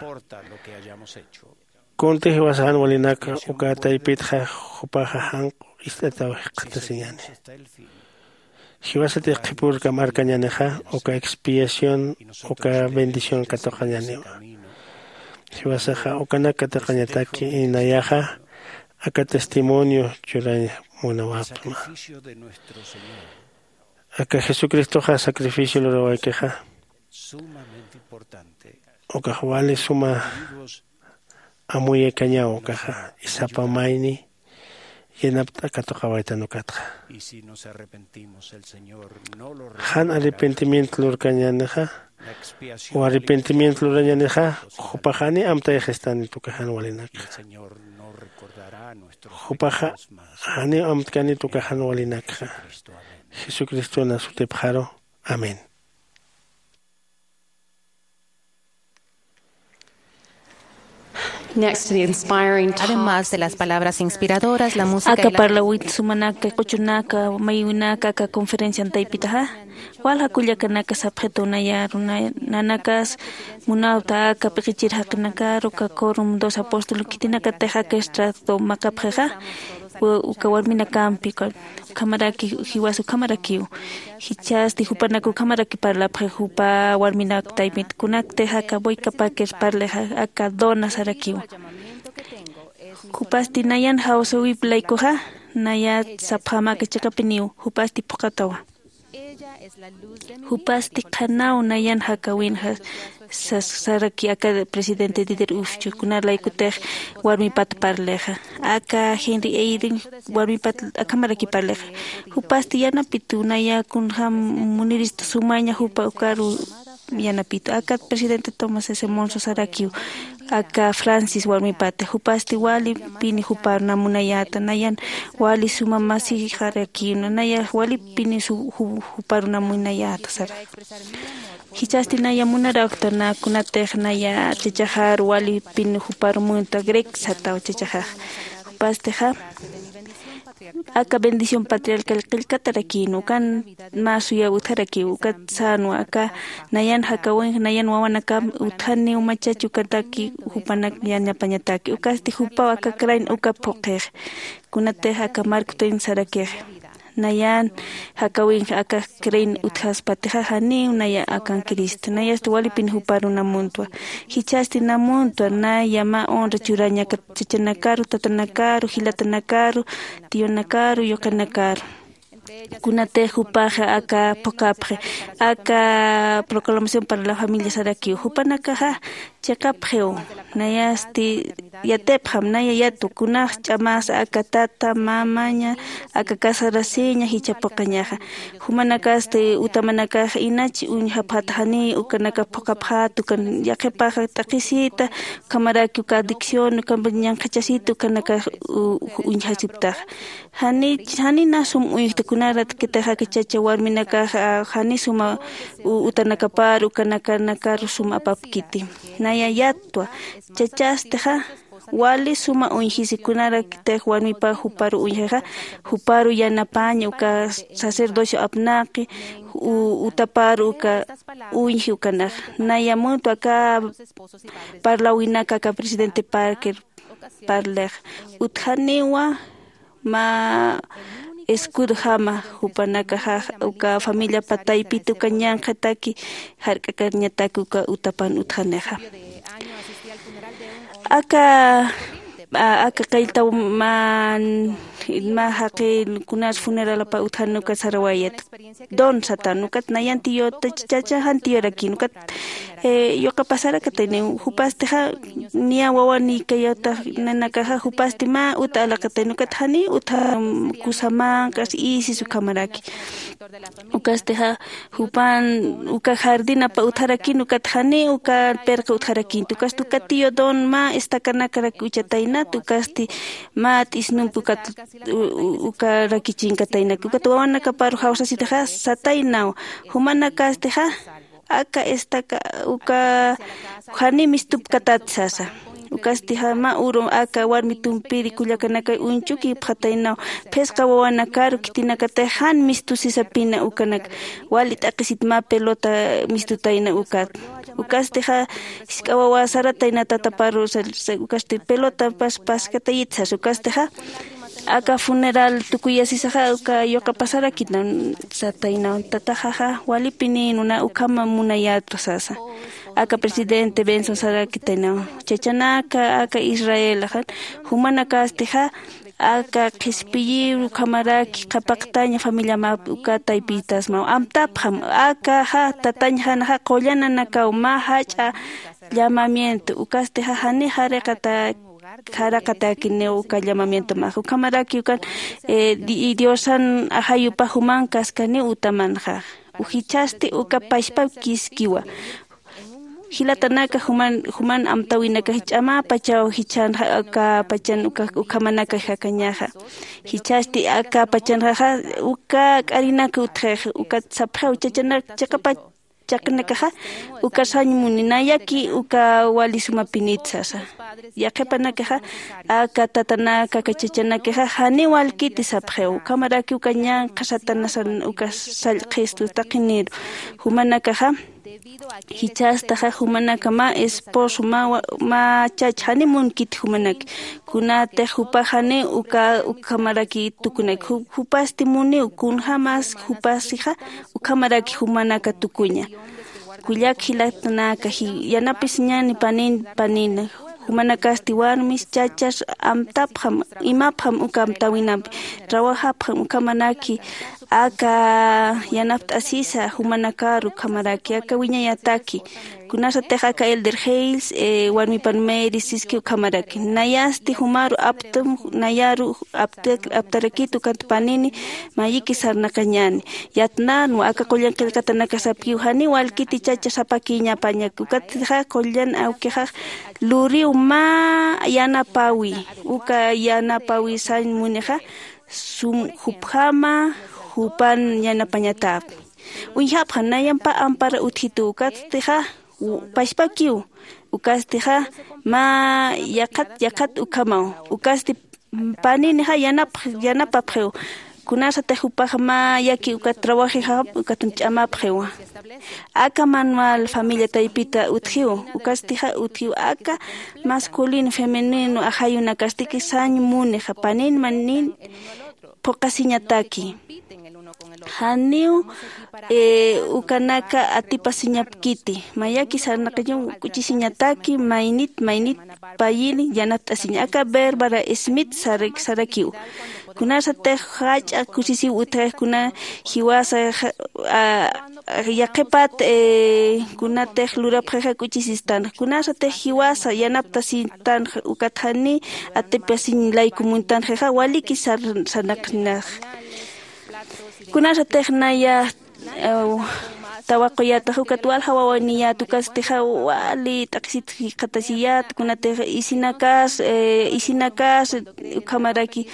Kunti jiwasaxan walinaka uka taypitxa jupaxa janq'u ist'ataw jikxatasiñani. Jiwasatix qhipürkam arkañänixa uka expiación uka bendición katuqañäniwa. Jiwasaxa ukanak katuqañataki inayaxa aka testimonio churañ munawapxma. Aka jesucristoxa sacrificio lurawaykixa ukax wali suma amuyakañaw ukaxa isapa mayni yanapt'a katuqawaytan ukatxa. Jan arrepentimiento lurkañänixa o arrepentimiento lurañänixa jupax janiw amtayxistanit uka jan walinakxa. Jupaxa janiw amtkanit uka jan walinakxa. Jesucristona sutipxaru. Amén. Además de las palabras inspiradoras, la música y la parlawit sumanaka q'uchunaka maywinaka aka conferencian taypitaxa walja kullakanaka sapxitunaya runa nanakas munawta aka p'iqichir jaqinakaru aka corum dos apóstol khitinakatix aka extracto maqapxixa uka warminakampi ukhamaraki jiwas ukhamarakiw. Jichhasti jupanak ukhamaraki parlapxi jupa warminak taypit kunaktix aka bueykapakir parlixa aka dona sarakiw. Jupasti nayan jawsäwip laykuxa nayat sapxäma aka chiqapiniw jupasti phuqhatawa. Jupasti qhanaw nayan jakawinxa sas- saraki aka presidente Dieter Uchtdorf, kuna laykutix warmipat parlixa. Aka Henry Eyring warmipat akhamaraki parlixa. Jupasti yanapitu naya kunjam munirista sumaña jupa ukaru yanapitu. Aka presidente Thomas S. Monson sarakiw aka Francis warmipata. Jupasti wali pini juparuna munayata. Nayan wali suma masixarakiwna. Naya wali pini su- ju- juparuna munayata sara. Jichasti naya munarakta na kunatix naya chachaxar wali pini juparu munta Grek sataw chachaxax. Jupastixa aka bendición patriarcal qillkatarakïn ukan mä suyaw utjarakiw ukat sänwa aka nayan jakawinx nayan wawanakam utjaniw machach ukataki jupanak yanapañataki ukasti jupaw aka krain uka phuqix. Kunatix aka markutuyna sarakix nayan jakawinx aka krain utjaspatixa janiw naya akan Cristo nayasti walipin juparuna muntwa. Jichhasti na muntwa naya mä honra churañakat chachanakaru tatanakaru jilatanakaru tiyunakaru yuqinakaru. Kunatix jupaxa aka phuqapxi aka proclamación para la familia sarakiw jupanakaxa chiqapxiw. Nayasti yatipxam naya yatwa kunax ch'amas aka tata mamaña aka casarasiña jichha phuqañaxa. Jumanakasti utamanakax inach uñjapxata janiy ukanaka phuqapxät ukan yaqhipaxa t'aqhisita ukhamaraki uka adicción uka ñanqhachasita ukanakax u- uñjasiptaxa. Jani jani na sum uñjta kunarat kitaxaka chacha warminakaxa jani suma u- utanakapar ukanakanakar sum apapkiti. Naya yattwa chachastixa wali suma uñjisi kunarakitix warmipa juparu uñjixa juparu yanapaña uka sacerdocio apnaqi u- utapar uka uñji ukanax. Naya muntwa aka parlawinaka aka presidente parker parlix utjaniwa mä escudojama jupanakaxa uka familiapa taypit uka ñanqhataki jark'akañataki uka utapan utjanixa. Aka aka qilltaw mä mä jaqi kunas funeralapa utjan uka sarawayat don satan ukat nayan tiyu chachaxan tiyurakin ukat yuqa pasarakatayniw jupastixa niya wawan ikayawtax nanakaxa jupasti mä uta alaqatayni ukat janiy utja kusa manq'as isis ukhamaraki. Ukastixa jupan uka jardinapa utjarakin ukat janiy uka pirqa utjarakinti ukasti uka tiyu don mä estacanakarak uchataynat ukasti mä t'isnumpi ukat u- u- uka rakichinkataynak ukat wawanakaparu jawsasitaxa sataynaw. Jumanakastixa aka estaca uka jani mistupkatat sasa. Ukastixa mä uru aka warmi tumpiri kullakanakay uñchukipxataynaw phisqa wawanakaru khitinakatix jan mistusisapina ukanak wali t'aqhisit mä pelota mistutayna ukat. Ukastixa jisk'a wawa saratayna tataparu ukasti pelotapas paskatayit sasa ukastixa aka funeral tukuyasisaxa uka yuqa pasarakitna sataynaw tataxaxa walipinïnuna ukhama munayätwa sasa. Aka presidente benson sarakitaynaw chachanaka aka israelaxan jumanakastixa aka qhispiyiw ukhamaraki qhapaqtaña familiamap uka taypitasmaw amtapxam akaxa tatañxanaxa qullananakaw mä jach'a llamamiento ukastixa jani jariqata jaraqatäkiniw uka llamamientomax ukhamaraki ukan diosan ajayupax juman kaskaniw utamanxa. Jichhasti uka pachpap kiskiwa jilatanaka juman juman amtäwinakax ch'amäpachaw jichhänxa aka pachan uka ukhamanakax jakañaxa. Jichhasti aka pachanxaxa uka k'arinaka utjix ukat sapxiw chachanak chiqapach chaqinakaxa uka sañ muni nayaki uka wali sumapinit sasa. Yaqhipanakaxa aka tatanaka aka chachanakixa janiw walkiti sapxiw ukhamaraki uka ñanqha satanasan uka sallqhistu taqiniru jumanakaxa jichhastaxa jumanaka mä esposo mä chach jani munkiti jumanaki kunatix jupax jani uka ukhamaraki tukunaki jupasti muniw kunjämas jupasixa ukhamaraki jumanaka tukuña. Kullak jilatanaka yanapisiñäni panin panina jumanakasti warmis chachas amtapxam imapxam uka amtäwinampi trabajapxam ukhamanaki Aka yanapt'asisa jumanakaru ukhamaraki aka wiñayataki. Kunasatix aka elder Hales warmipan Mary siski ukhamaraki nayasti jumaru aptum nayaru aptarakit ukat panini mayiki sarnaqañani. Yatnanwa aka qullan qillqatanakasapkiw janiw walkiti chacha sapakiñapañak ukatxa qullan awkixax luriw mä yanapawi. Uka yanapawi sañ munixa sum jupjama jupan yanapañatäpxi. Uñjapxan nayampa ampara utjitu ukatstixa pachpakiw. Ukastixa mä yaqhat yaqhat ukhamaw ukasti paninixa yanapapxiw. Kunasatix jupaxa mä yaki ukat trawajixa ukat ch'amapxiwa. Aka manual familia taypita utjiw ukastixa utjiw aka masculino femenino ajayunakastiki sañ munixa panin manin phuqasiñataki. Janiw ukanaka atipasiñapkiti mayaki sarnaqañaw k'uchisiñataki maynit maynit payini yanapt'asiña aka verbara smith sarakiw. Kunasatix jach'a kusisiw utjax kuna jiwasa yaqhipat kunatix lurapxixa k'uchisistanxa kunasatix jiwasa yanaptasistanxa ukat jani atipasiñ layku muntanxixa waliki sarnaqnax. Kunasatix naya tawaquyatax ukat walja wawaniyät ukastixa wali t'aqhisit jikxatasiyät kunatix isinakas isinakas ukhamaraki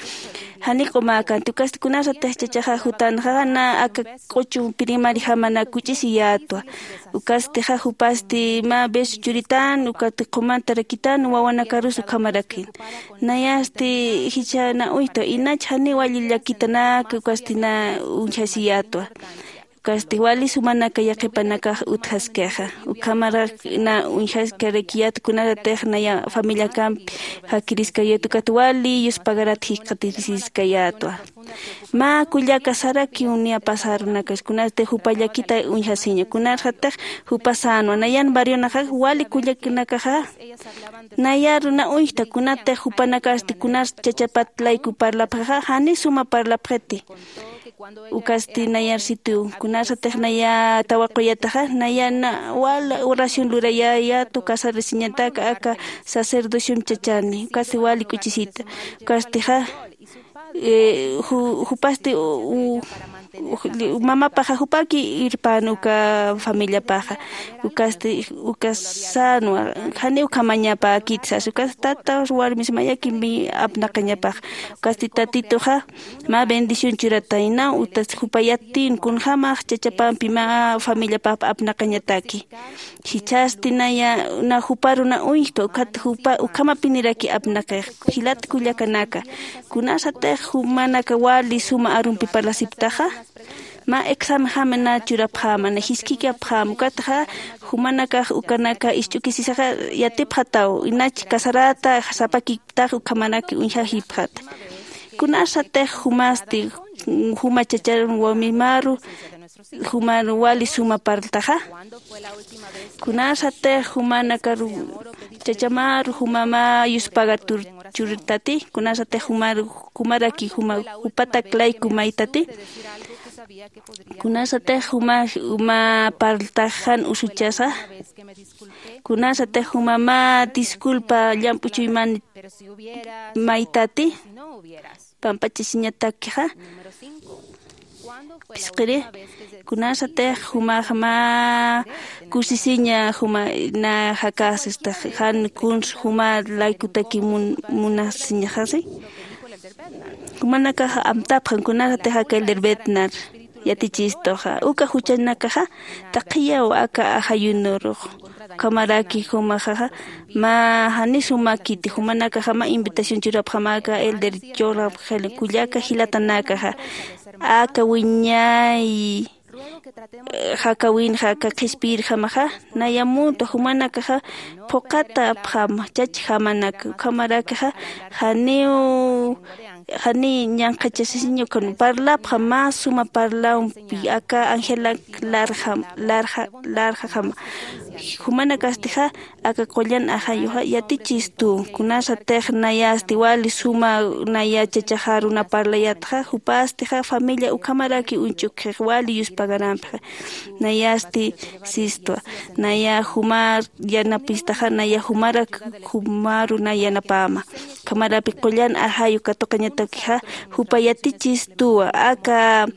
jani q'umäkänti ukasti kunasatix chachaxa jutanxa na aka q'uchu primarijamanak kuch'isiyätwa. Ukastixa jupasti mä beso churitan ukati qumantarakitan wawanakarus ukhamarakin. Nayasti jichha na uñjta inach janiw walli llakitanaka ukasti na uñjasiyätwa. Ukasti wali sumanaka yaqhipanakax utjaskixa ukhamarak na uñjaskarakiyät kunasatix naya familiakampi jakiriskayät ukat wali yuspagarat jikxatisiskayätwa. Mä kullaka sarakiw niya pasarunakasti kunasti jupa llakita uñjasiña kunasatix jupa sänwa nayan barrionaxax wali kullakanakaxa nayaru na uñjta kunatix jupanakasti kunas chachapat layku parlapxixa jani suma parlapxiti. Ukasti nayar sitiw kunasatix naya tawaquyataxa naya na wal oración lurayayätu casarasiñataka aka sacerdociom chachani ukasti wali k'uchisita. Ukastixa jupasti mamapaxa jupaki irpan uka familiapaxa. Ukasti uka sänwa janiw ukhamañapäkit sas ukasti tata warmis mayakimpi apnaqañapaxa. Ukasti tatituxa mä bendición churataynaw utas jupa yattin kunjämax chachapampi mä familiapap apnaqañataki. Jichhasti naya na juparu na uñjtwa ukhat jupa ukhamapiniraki apnaqix jilat kullakanaka. Kunasatix jumanaka wali suma arumpi parlasiptaxa mä examenjama na churapxäma na jiskikapxäma ukatxa jumanakax ukanaka isch'ukisisaxa yatipxataw inach casarata sapakiptax ukhamanaki uñjajipxata. Kunasatix jumasti juma chachan wamimaru jumar wali suma parltaxa. Kunasatix jumanakaru chachamaru juma mä yuspaga churtati kunasatix jumar jumaraki juma jupatak layku maytati. Kunasatix juma juma parltaxan usuchasa kunasatix juma mä disculpa llamp'u chuyman maytati pampachasiñatakixa. Phisqiri kunasatix jumax mä kusisiña juma na jakasistix jan kuns juma laykutaki munasiñaxasi. Jumanakax amtapxan kunasatix aka elder betnar yatichistuxa uka juchanakaxa taqhiyaw aka ajayunurux. Ukhamaraki jumaxaxa mä jani sumakiti jumanakaxa mä invitación churapxamaka elder churapxil kullaka jilatanakaxa aka wiñay jakawinxa aka qhispiyirjamaxa nayamunta jumanakaxa phuqatapxama chachjamanaka ukhamarakaxa janiw jani ñanqhachasisiña ukan parlapxa mä suma parlawampi aka angelak larjam larja larjajama. Jumanakastixa aka qullan ajayuxa yatichistu kunasatix nayasti wali suma naya chachaxa runa parlayatxa jupastixa familia ukhamaraki uñch'ukxix wali yuspagarampxa. Nayasti sistwa naya jumar yanapistaxa naya jumarak juma runa yanapama. Ukhamarapi qullan ajayu katuqañatakixa jupa yatichistuwa aka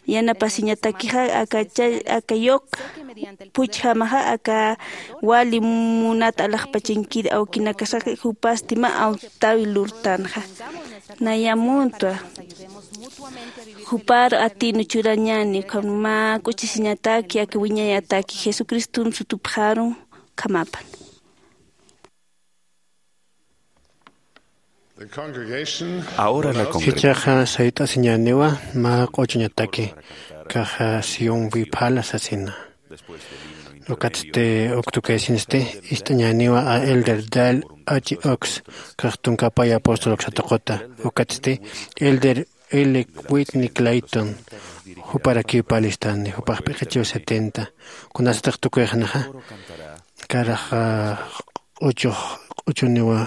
yanapasiñatakixa aka chay aka yuq puchjamaxa aka wali munat alaxpachankir awkinakasaxa jupasti mä awtawi lurtanxa. Nayamuntwa jupar atinu churañani ukham mä k'uchisiñataki aka wiñayataki jesucriston sutupxaru. Ukhamapan. Ahora la congregación jichhaxa sayt'asiñäniwa mä q'uchuñataki kaxa sionwi phala sasina. Ukatsti uktukaysinsti ist'añäniwa a elder dal h ox kax tunkapay apóstol uksatuquta ukatsti elder l whitney clayton juparakiw palistani jupax p'iqichiw setenta kunasatix tukuyxnaxa karaxa q'uchux q'uchuniwa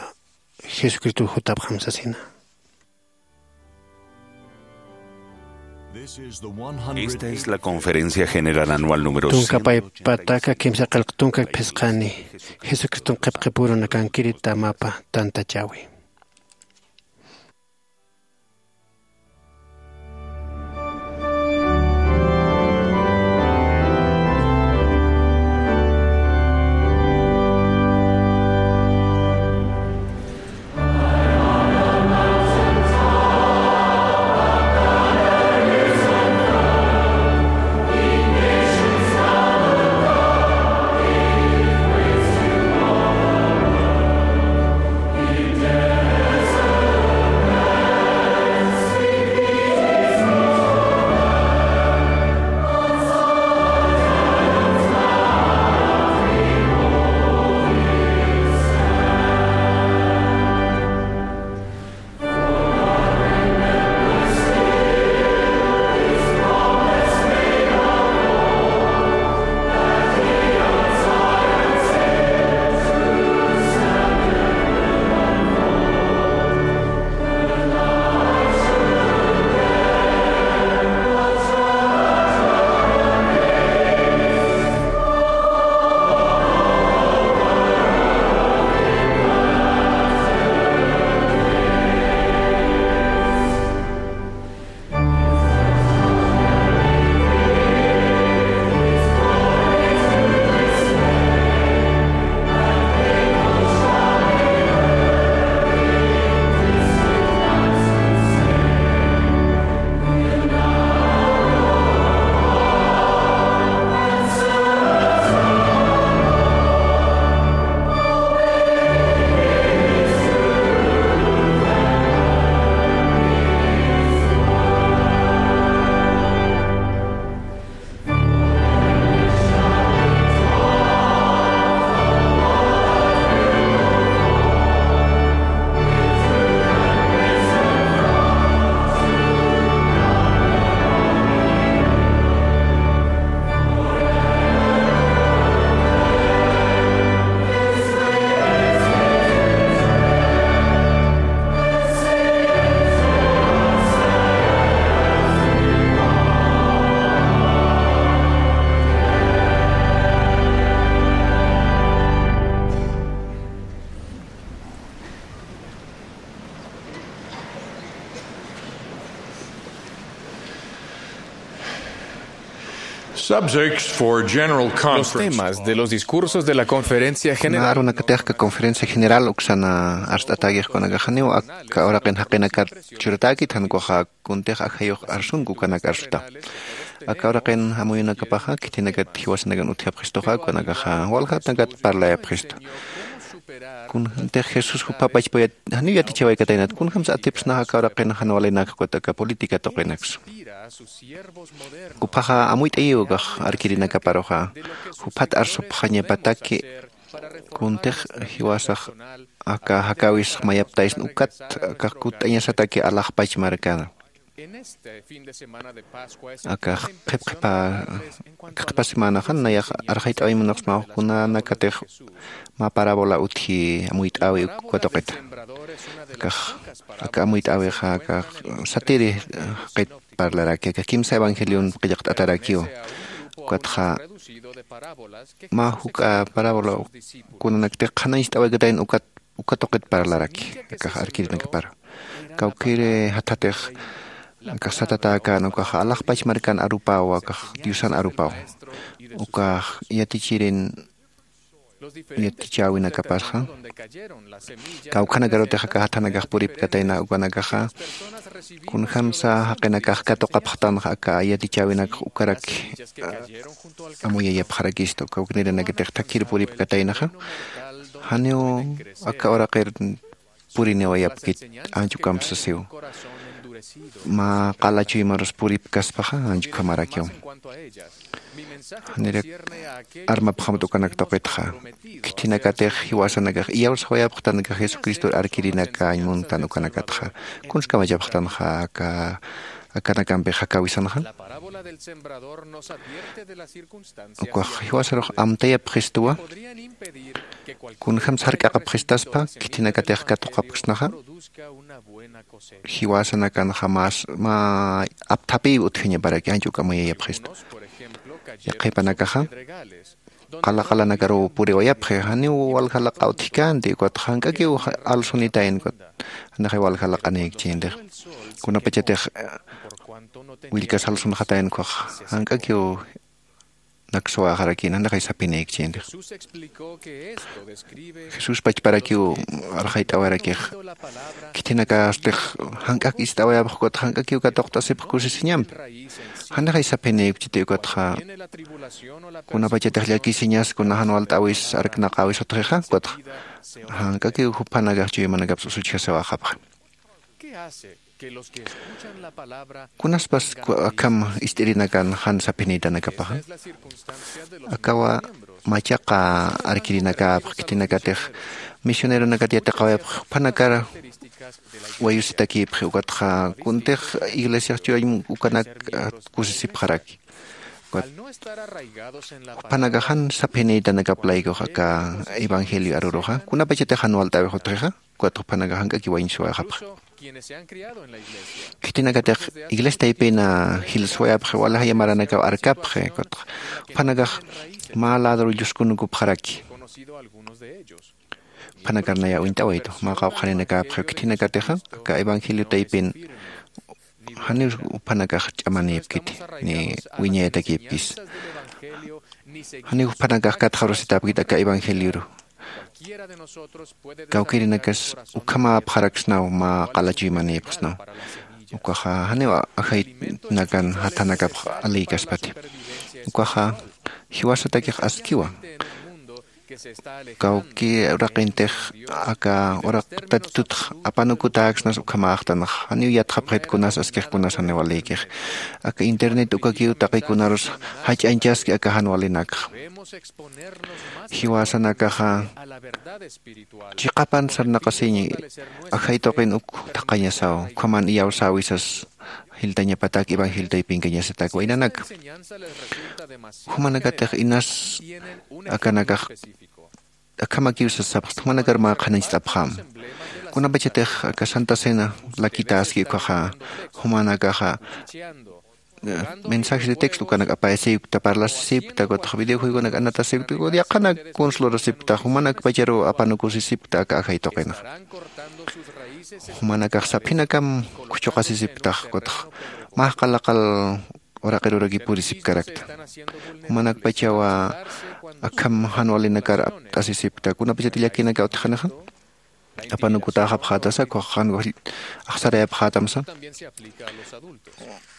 jesucristo jutapxam sasina. Esta es la conferencia general anual número cien. Tunkapay pataka kimsa qillq tunka phisqani jesucriston qhipqipurunakankiri tamapa tantachawi. Subjects for general conference. Los temas de los discursos de la conferencia general. Arunakatix aka conferencia general uksana arst'atäkix kunakaxaniw aka uraqin jaqinakat churatäkit jan ukaxa kuntix ajayux arsunku ukanak arsuta. Aka uraqin amuyunakapaxa khithinakat jiwasanakan utjapxistuxa ukanakaxa waljatnakat parlayapxistu. Kunjantix jesús jupha pachpayat janiw yatichawaykataynat kunjamsa atipsnaxa aka uraqin jan walinak ukat aka política tuqinaksa. Juphaxa amuyt'ayiw ukax arkirinakaparuxa juphat arsupxañapataki Kuntix jiwasax aka jakäwis mayaptaysna ukat akax kutt'añasataki alaxpach markana. Akax qhip qhipa qhip qhipa semanaxa nayax arxayt'awañ munaxsmaw kunanakatix mä parábola utji amuyt'äwi uk katuqita. Akax aka amuyt'äwixa akax satiri jaqit parlaraki aka kimsa evangelion qillqt'atarakiw. Ukatxa mä juk'a parábola kunanaktix qhanañcht'awaykatäyan ukat uka tuqit parlaraki akax arkirinakapar. Kawkiri jathatix akax satatäkän ukaxa alaxpach markan arupäw akax diosan arupäw. Ukax yatichirin yatichäwinakapasxa kawkhanakarutix aka jathanakax puripkatayna ukanakaxa kunjämsa jaqinakax katuqapxtanxa aka yatichäwinakax ukaraki amuyayapxarakista uka uknirinakatix thakhir puripkataynaxa janiw aka uraqir puriniwayapkit ancha ukham sasiw. Mä qala chuymarus puripkaspaxa ancha ukhamarakiw. Janirak armapxamta ukanak tuqitxa khithinakatix jiwasanakax iyawsawayapxtanakax jesucristor arkirinakäñ muntan ukanakatxa kuns kamachapxtanxa aka akanakampix jakäwisanxa. Ukax jiwasarux amtayapxistuwa kunjämsa jark'aqapxistaspa khithinakatix katuqapksnaxa jiwasanakanxa mä apthapïw utjañaparaki ancha uk amuyayapxista. Yaqhipanakaxa qala qalanakaruw puriwayapxi janiw walja laqa utjkänti ukatxa jank'akiw alsunitayn ukat janixay walja laqanïkchintix kunapachatix willkas alsunxatayn ukhax jank'akiw naksuwaxarakïn janixay saphinïkchintix. Jesús pachparakiw arxayt'awarakix khithinakastix jank'ak ist'awayapx ukatxa jank'akiw katuqt'asipx kusisiñampi. Janixay saphinïkchiti ukatxa kunapachatix llakisiñas kuna jan walt'äwis arknaqäwis utjixa ukatxa jank'akiw juphanakax chuymanakaps usuchjasiwäxapxi. Kunaspas akham ist'irinakan jan saphinïtanakapaxa akawa machaqa arkirinakapx khitinakatix misioneronakat yatiqawayapx juphanakar wayusitakïpxi ukatxa kuntix iglesiax chuwañ ukanak kusisipxaraki. Juphanakax jan saphinïtanakap laykux aka evangelio aruruxa kunapachatix jan walt'äwix utjixa ukat juphanakax jank'aki wañsuwayxapxa. Khitinakatix iglesia taypina jilsuwayapxi walaxaya maranakaw arkapxi ukatxa juphanakax mä ladru lluskunukupxaraki. Juphanakar naya uñt'awaytu mä qawqhaninakäpxiw khitinakatixa aka evangelio taypin janiw juphanakax ch'amanïpkiti ni wiñayatakïpkis. Janiw juphanakax katxarusitäpkit aka evangelioru. Kawkïrinakas ukhamäpxaraksnaw mä qala chuymanïpxsnaw. Ukaxa janiw ajaytnakan jathanakapx alïkaspati. Ukaxa jiwasatakix askiwa kawki uraqintix aka uraq tatitutx apanukutäksnas ukhamäxtanx janiw yatxapxit kunas askix kunas janiw alïkix. Aka internet ukakiw taqikunarus jach'añchaski aka jan walinakxa. Jiwasanakaxa chiqapan sarnaqasiñ ajay tuqin uk thaqhañasaw ukhaman iyawsäwisas jiltañapatak evangelio taypinkañasatak waynanaka. Jumanakatix inas akanakax akhamakiw sasapxta jumanakar mä qhanañcht'apxäm. Kunapachatix aka santa cena lakitäski ukhaxa jumanakaxa mensajes de texto ukanak apayasipkta parlasisipkta ukatxa videojuegonak anatasipkta ukat yaqhanak kuns lurasipkta jumanakpacharuw apanukusisipkta aka ajay tuqinxa. Jumanakax saphinakam khuchuqasisipktax ukatxa mä qala qal uraqiruraki purisipkarakta. Jumanakpachawa akham jan walinakar apt'asisipkta kunapachati llakinaka utjanixa apanukutäxapxätasa ukhax jan wal axsarayapxätamsa.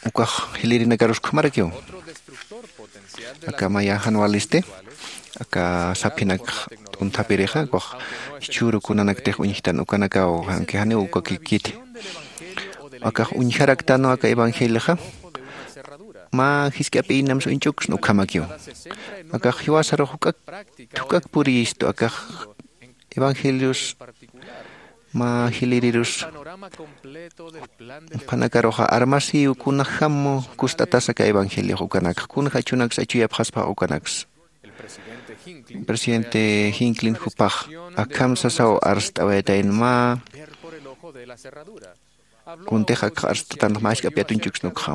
Ukax jilïrinakarus ukhamarakiw. Aka maya jan walisti aka saphinak t'unthapirixa ukax jichhüru kunanaktix uñjtan ukanakaw janki janiw ukakikiti. Akax uñjaraktanwa aka evangelioxa mä jisk'ap'inamsa uñch'uksna ukhamakiw. Akax jiwasarux juk'ak juk'ak puriyistu akax evangelios mä jilirirus. Qhanakaruxa armasiw kunajam kust'atasa aka evangeliox ukanakxa kunja achunaksa achuyapxaspax ukanaksa. Presidente hinklin jupax akham sasaw arst'awayatayn mä kuntix akxa arst'atanxa mä jisk'ap'i atuñchuksna ukxa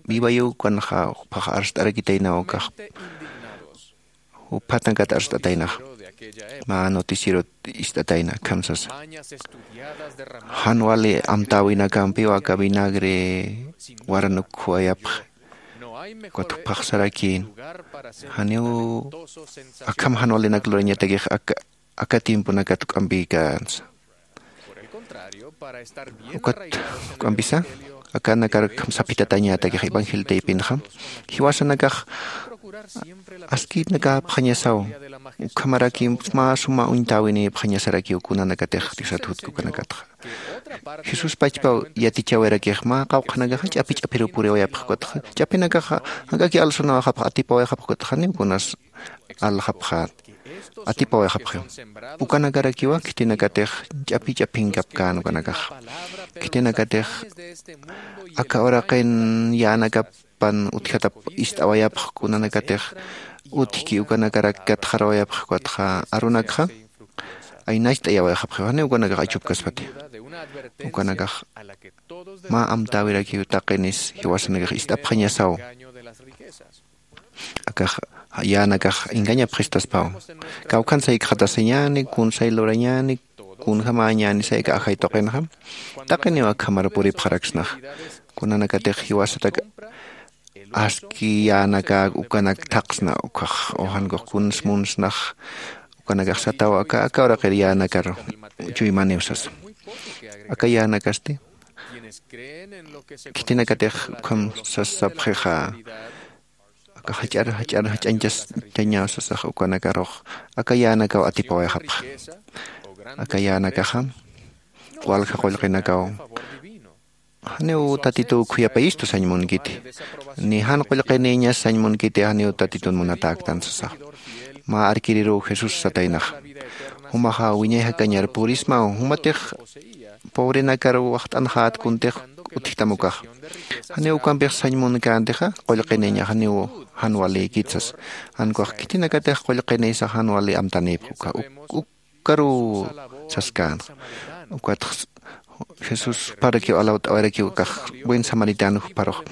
vivayu ukanxa juphax arst'arakitaynaw akax. Juphatnakat arst'ataynaxa mä noticierot ist'atayna akham sasa. Jan wali amtäwinakampiw aka vinagre waranuk juwayapxi. Ukat juphaxsarakïn janiw akham jan walinak lurañatakix aka aka tiemponakat juk'ampïkänsa. Ukat juk'ampisa akanakar akham saphitatañätakix evangelio taypinxa jiwasanakax askïnakäpxañasaw. Ukhamaraki mä suma uñtäwinïpxañasarakiw kunanakatix diosat jutki ukanakatxa. Jesús pachpaw yatichawirakix mä qawqhanakaxa ch'api ch'apiruw puriwayapxkutxa ch'apinakaxa jank'aki alsunawayxapxa atipawayxapxkutxa janiw kunas aljapxät. Atipawayxapxiw ukanakarakiwa khitinakatix ch'api ch'apinkapkän ukanakax khitinakatix aka uraqin yänakapan utjatap ist'awayapx kunanakatix utjki ukanakarak katxarawayapx ukatxa arunakxa aynacht'ayawayxapxiw janiw ukanakax achupkaspati. Ukanakax mä amtäwirakiw taqinis jiwasanakax ist'apxañasaw. Akax yänakax engañapxistaspaw. Kawkhan saykxatasiñäni kunsay lurañäni kunjamäñäni sayka ajay tuqinxa taqiniw akhamar puripxaraksnaxa. Kunanakatix jiwasatak aski yänakäk ukanak thaqsna ukhax ujankux kuns munsnax ukanakax sataw aka aka uraqir yänakar chuymaniw sasa. Aka yänakasti khitinakatix ukham sasapxixa aka jach'ar jach'ar jach'añchañaw sasax ukanakarux aka yänakaw atipawayxapxa. Aka yänakaxa walja qullqinakaw janiw tatituw khuyapayistu sañ munkiti ni jan qullqinïñas sañ munkiti janiw tatitun munatäktan sasax. Mä arkiriruw jesús sataynaxa jumaxa wiñay jakañar purismaw jumatix pobrenakar waxt'anxät kuntix utjtam ukaxa. Janiw ukampix sañ munkäntixa qullqinïñax janiw jan walïkit sasa. Jan ukax khitinakatix qullqinïsax jan wali amtanïpx uka ukaruw saskänxa. Ukatx jesús juparakiw alawt'awayrakiw akax buen samaritano juparux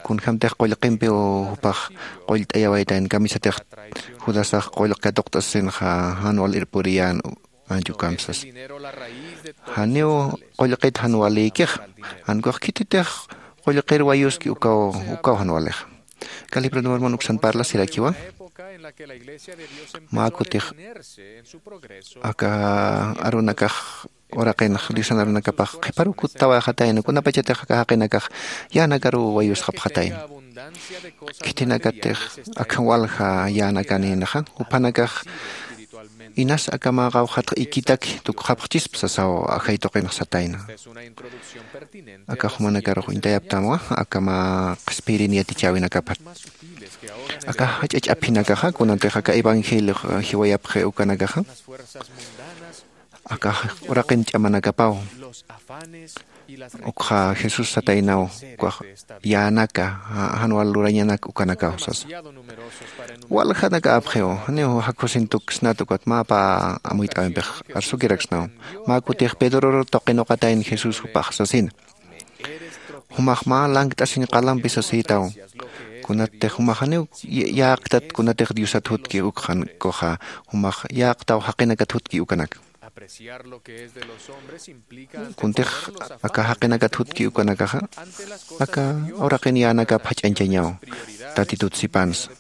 kunjämtix qullqimpiw jupax qullt'ayawaytayn kamisatix judasax qullq katuqt'asinxa jan wal irpuriyän ancha ukampi sasa. Janiw qullqit jan walïkixa jan ukax khititix qullqir wayuski ukaw ukaw jan walixa. Aka libro de mormon uksan parlasirakiwa mä kutix aka arunakax uraqinx diosan arunakapax qhiparuw kuttawayxatayna kunapachatix aka jaqinakax yänakaruw wayusxapxatayna. Khitinakatix akham walja yänakanïnaxa juphanakax inas aka mä qawqhatx ikitaki tukxapxchispa sasaw ajay tuqinx satayna. Akax jumanakarux uñtayaptamwa aka mä qhispiyirin yatichäwinakapat. Aka jach'a ch'aphinakaxa kunatix aka evangeliox jiwayapxi ukanakaxa aka uraqin ch'amanakapaw ukxa jesús sataynaw ukax yänaka jan wal lurañanak ukanakaw sasa. Waljanakapxiw janiw jakhusin tuksnat ukat mä pä amuyt'äwimpix arsukiraksnaw. Mä kutix pedror tuqinuqatayna jesús jupax sasina jumax mä lankt'asiñ qalampi sasïtaw. Kunattix jumax janiw yäqtat kunatix diosat jutki ukxankuxa jumax yäqtaw jaqinakat jutki ukanak. Kuntix aka jaqinakat jutki ukanakaxa aka uraqin yänakap jach'añchañaw tatitut sipansa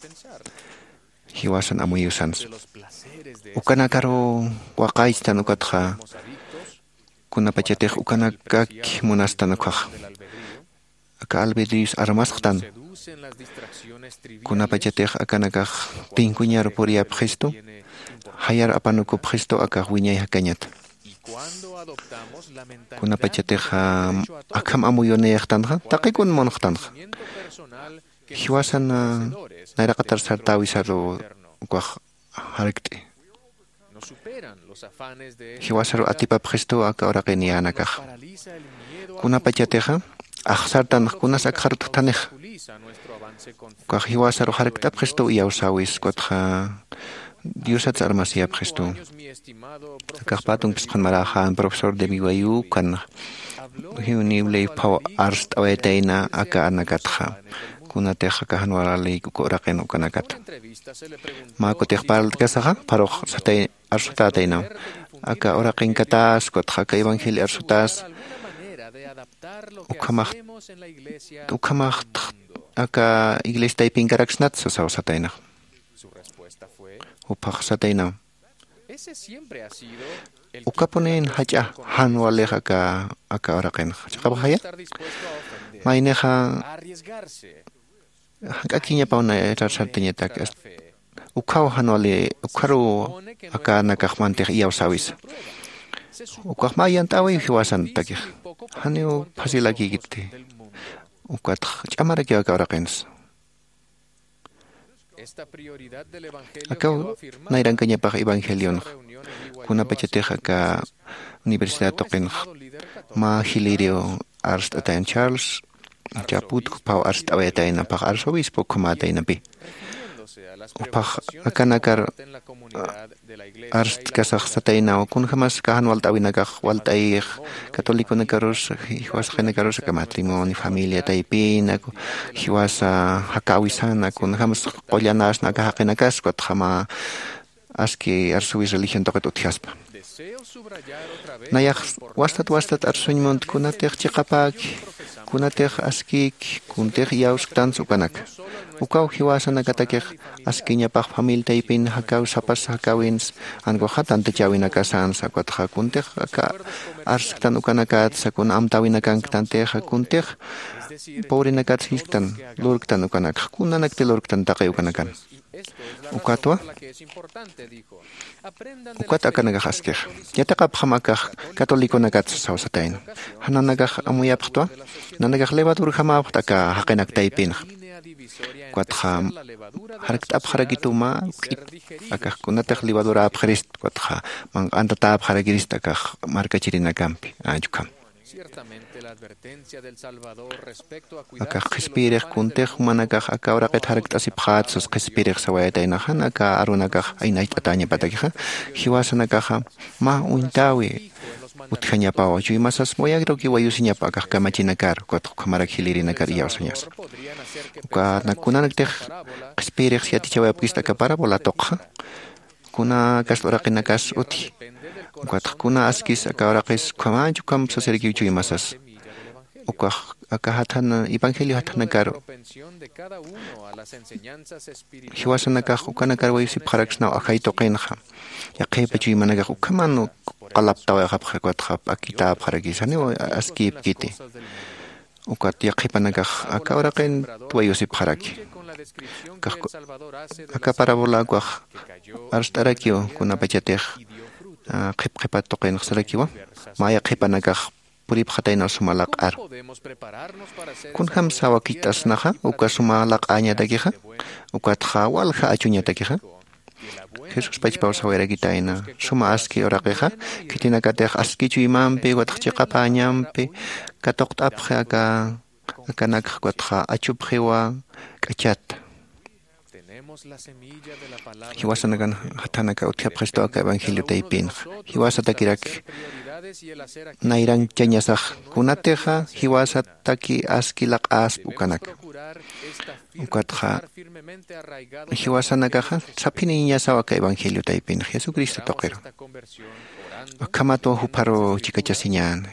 jiwasan amuyusansa. Ukanakaruw waqaychtan ukatxa kunapachatix ukanakaki munastan ukhaxa aka albedrios armasxtan. Kunapachatix akanakax tinkuñar puriyapxistu jayar apanukupxistu akax wiñay jakañata. Kunapachatix akham amuyunïxtanxa taqikun munxtanxa Jiwasan nayraqatar sartäwisaru ukax jarkt'i. Jiwasaru atipapxistu aka uraqin yänakaxa. Kunapachatixa axsartanx kunas akxarut jutanixa. Ukax jiwasaru jarkt'apxistu iyawsäwis ukatxa diosats armasiyapxistu. Akax pä tunkis qhanmaräxän profesor de vivayu ukan jiwnible phaw arst'awayatayna aka anakatxa. Kunatix aka jan walïk uka uraqin ukanakata mä kutix parltkasaxa pharux satay arsutätaynaw. Aka uraqinkatasa ukatxa aka evangelio arsutäsa ukhamax ukhamaxtx aka iglesia taypinkaraksnat sasaw sataynax. Juphax sataynaw, ukapunin jach'a jan walix aka aka uraqinxa chiqapxaya maynixa jank'akiñapaw nayraqatar sartañatak. Ukhaw jan wali ukharuw akanakax mantix iyawsäwisa. Ukax mä yant'äwiw jiwasantakix janiw phasilakïkiti. Ukatx ch'amarakiw aka uraqinsa. Akaw nayrankañapax evangelionxa kunapachatix aka universidad tuqinxa mä jilïriw arst'atayna charles chaput juphaw arst'awayatayna phax arzobispo ukhamätaynapï. Juphax akanakar arstkasax sataynaw kunjämas aka jan walt'äwinakax walt'ayix catoliconakarus jiwasaqinakarus aka matrimonio familia taypina jiwasa jakäwisana kunjämas qullanasna aka jaqinakas ukatxa mä aski arsuwis religión tuqit utjaspa. Nayax wastat wastat arsuñ munt kunatix chiqapäki kunatix askïki kuntix iyawsktansa ukanaka. Ukaw jiwasanakatakix askiñapax familia taypin jakäw sapas jakäwinsa ankuxa tantachäwinakasansa ukatxa kuntix aka arsktan ukanakatsa kuna amtäwinakanktantixa kuntix pobrenakatsa jisktan lurktan ukanakxa kunanakti lurktan taqi ukanakan. Ukatwa ukat akanakax askixa yatiqapxam akax catoliconakatsa sawsatayna. Jan nanakax amuyapxtwa nanakax levadurjamapxt aka jaqinak taypinxa. Ukatxa jarkt'apxarakitu mä k'it akax kunatix levaduräpxirist ukatxa manq'antatäpxarakirist akax markachirinakampi anchukham. Akax qhispiyirix kuntix jumanakax aka uraqit jarkt'asipxät sas qhispiyirix sawayataynaxan aka arunakax aynacht'atäñapatakixa jiwasanakaxa mä uñtäwi utjañapawa chuymasas muyagruki wayusiñapa akax kamachinakar ukatxa ukhamarak jilïrinakar iyawsañasa. Uka kunanaktix qhispiyirix yatichawayapkista aka parabola tuqxa kuna kasta uraqinakas utji. Ukatxa kuna askis aka uraqis ukhamächi ukham sasirakiw chuymasas. Ukax aka jathan evangelio jathanakar jiwasanakax ukanakar wayusipxaraksnaw ajay tuqinxa. Yaqhipa chuymanakax ukhaman qalaptawayxapxi ukatxa p'akitäpxarakis janiw askïpkiti. Ukat yaqhipanakax aka uraqin wayusipxaraki. Aka parabola ukax arst'arakiw kunapachatix qhipqhipat tuqinxsarakiwa mä yaqhipanakax puripxataynaw suma laq'ar. Kunjämsa wakicht'asnaxa uka suma laq'äñatakixa ukatxa walja achuñatakixa. Jesús pachpaw sawayarakitayna suma aski uraqixa khitinakatix aski chuymampi ukatxa chiqapäñampi katuqt'apxi aka akanakxa ukatxa achupxiwa k'achata. Jiwasanakan jathanaka utjapxistu aka evangelio taypinxa jiwasatakirak nayranchañasax kunatixa jiwasataki aski laq'aspa ukanaka. Ukatxa jiwasanakaxa saphiniñasaw aka evangelio taypinxa jesucristo tuqiru. Ukhamatwa jupharu chikachasiñän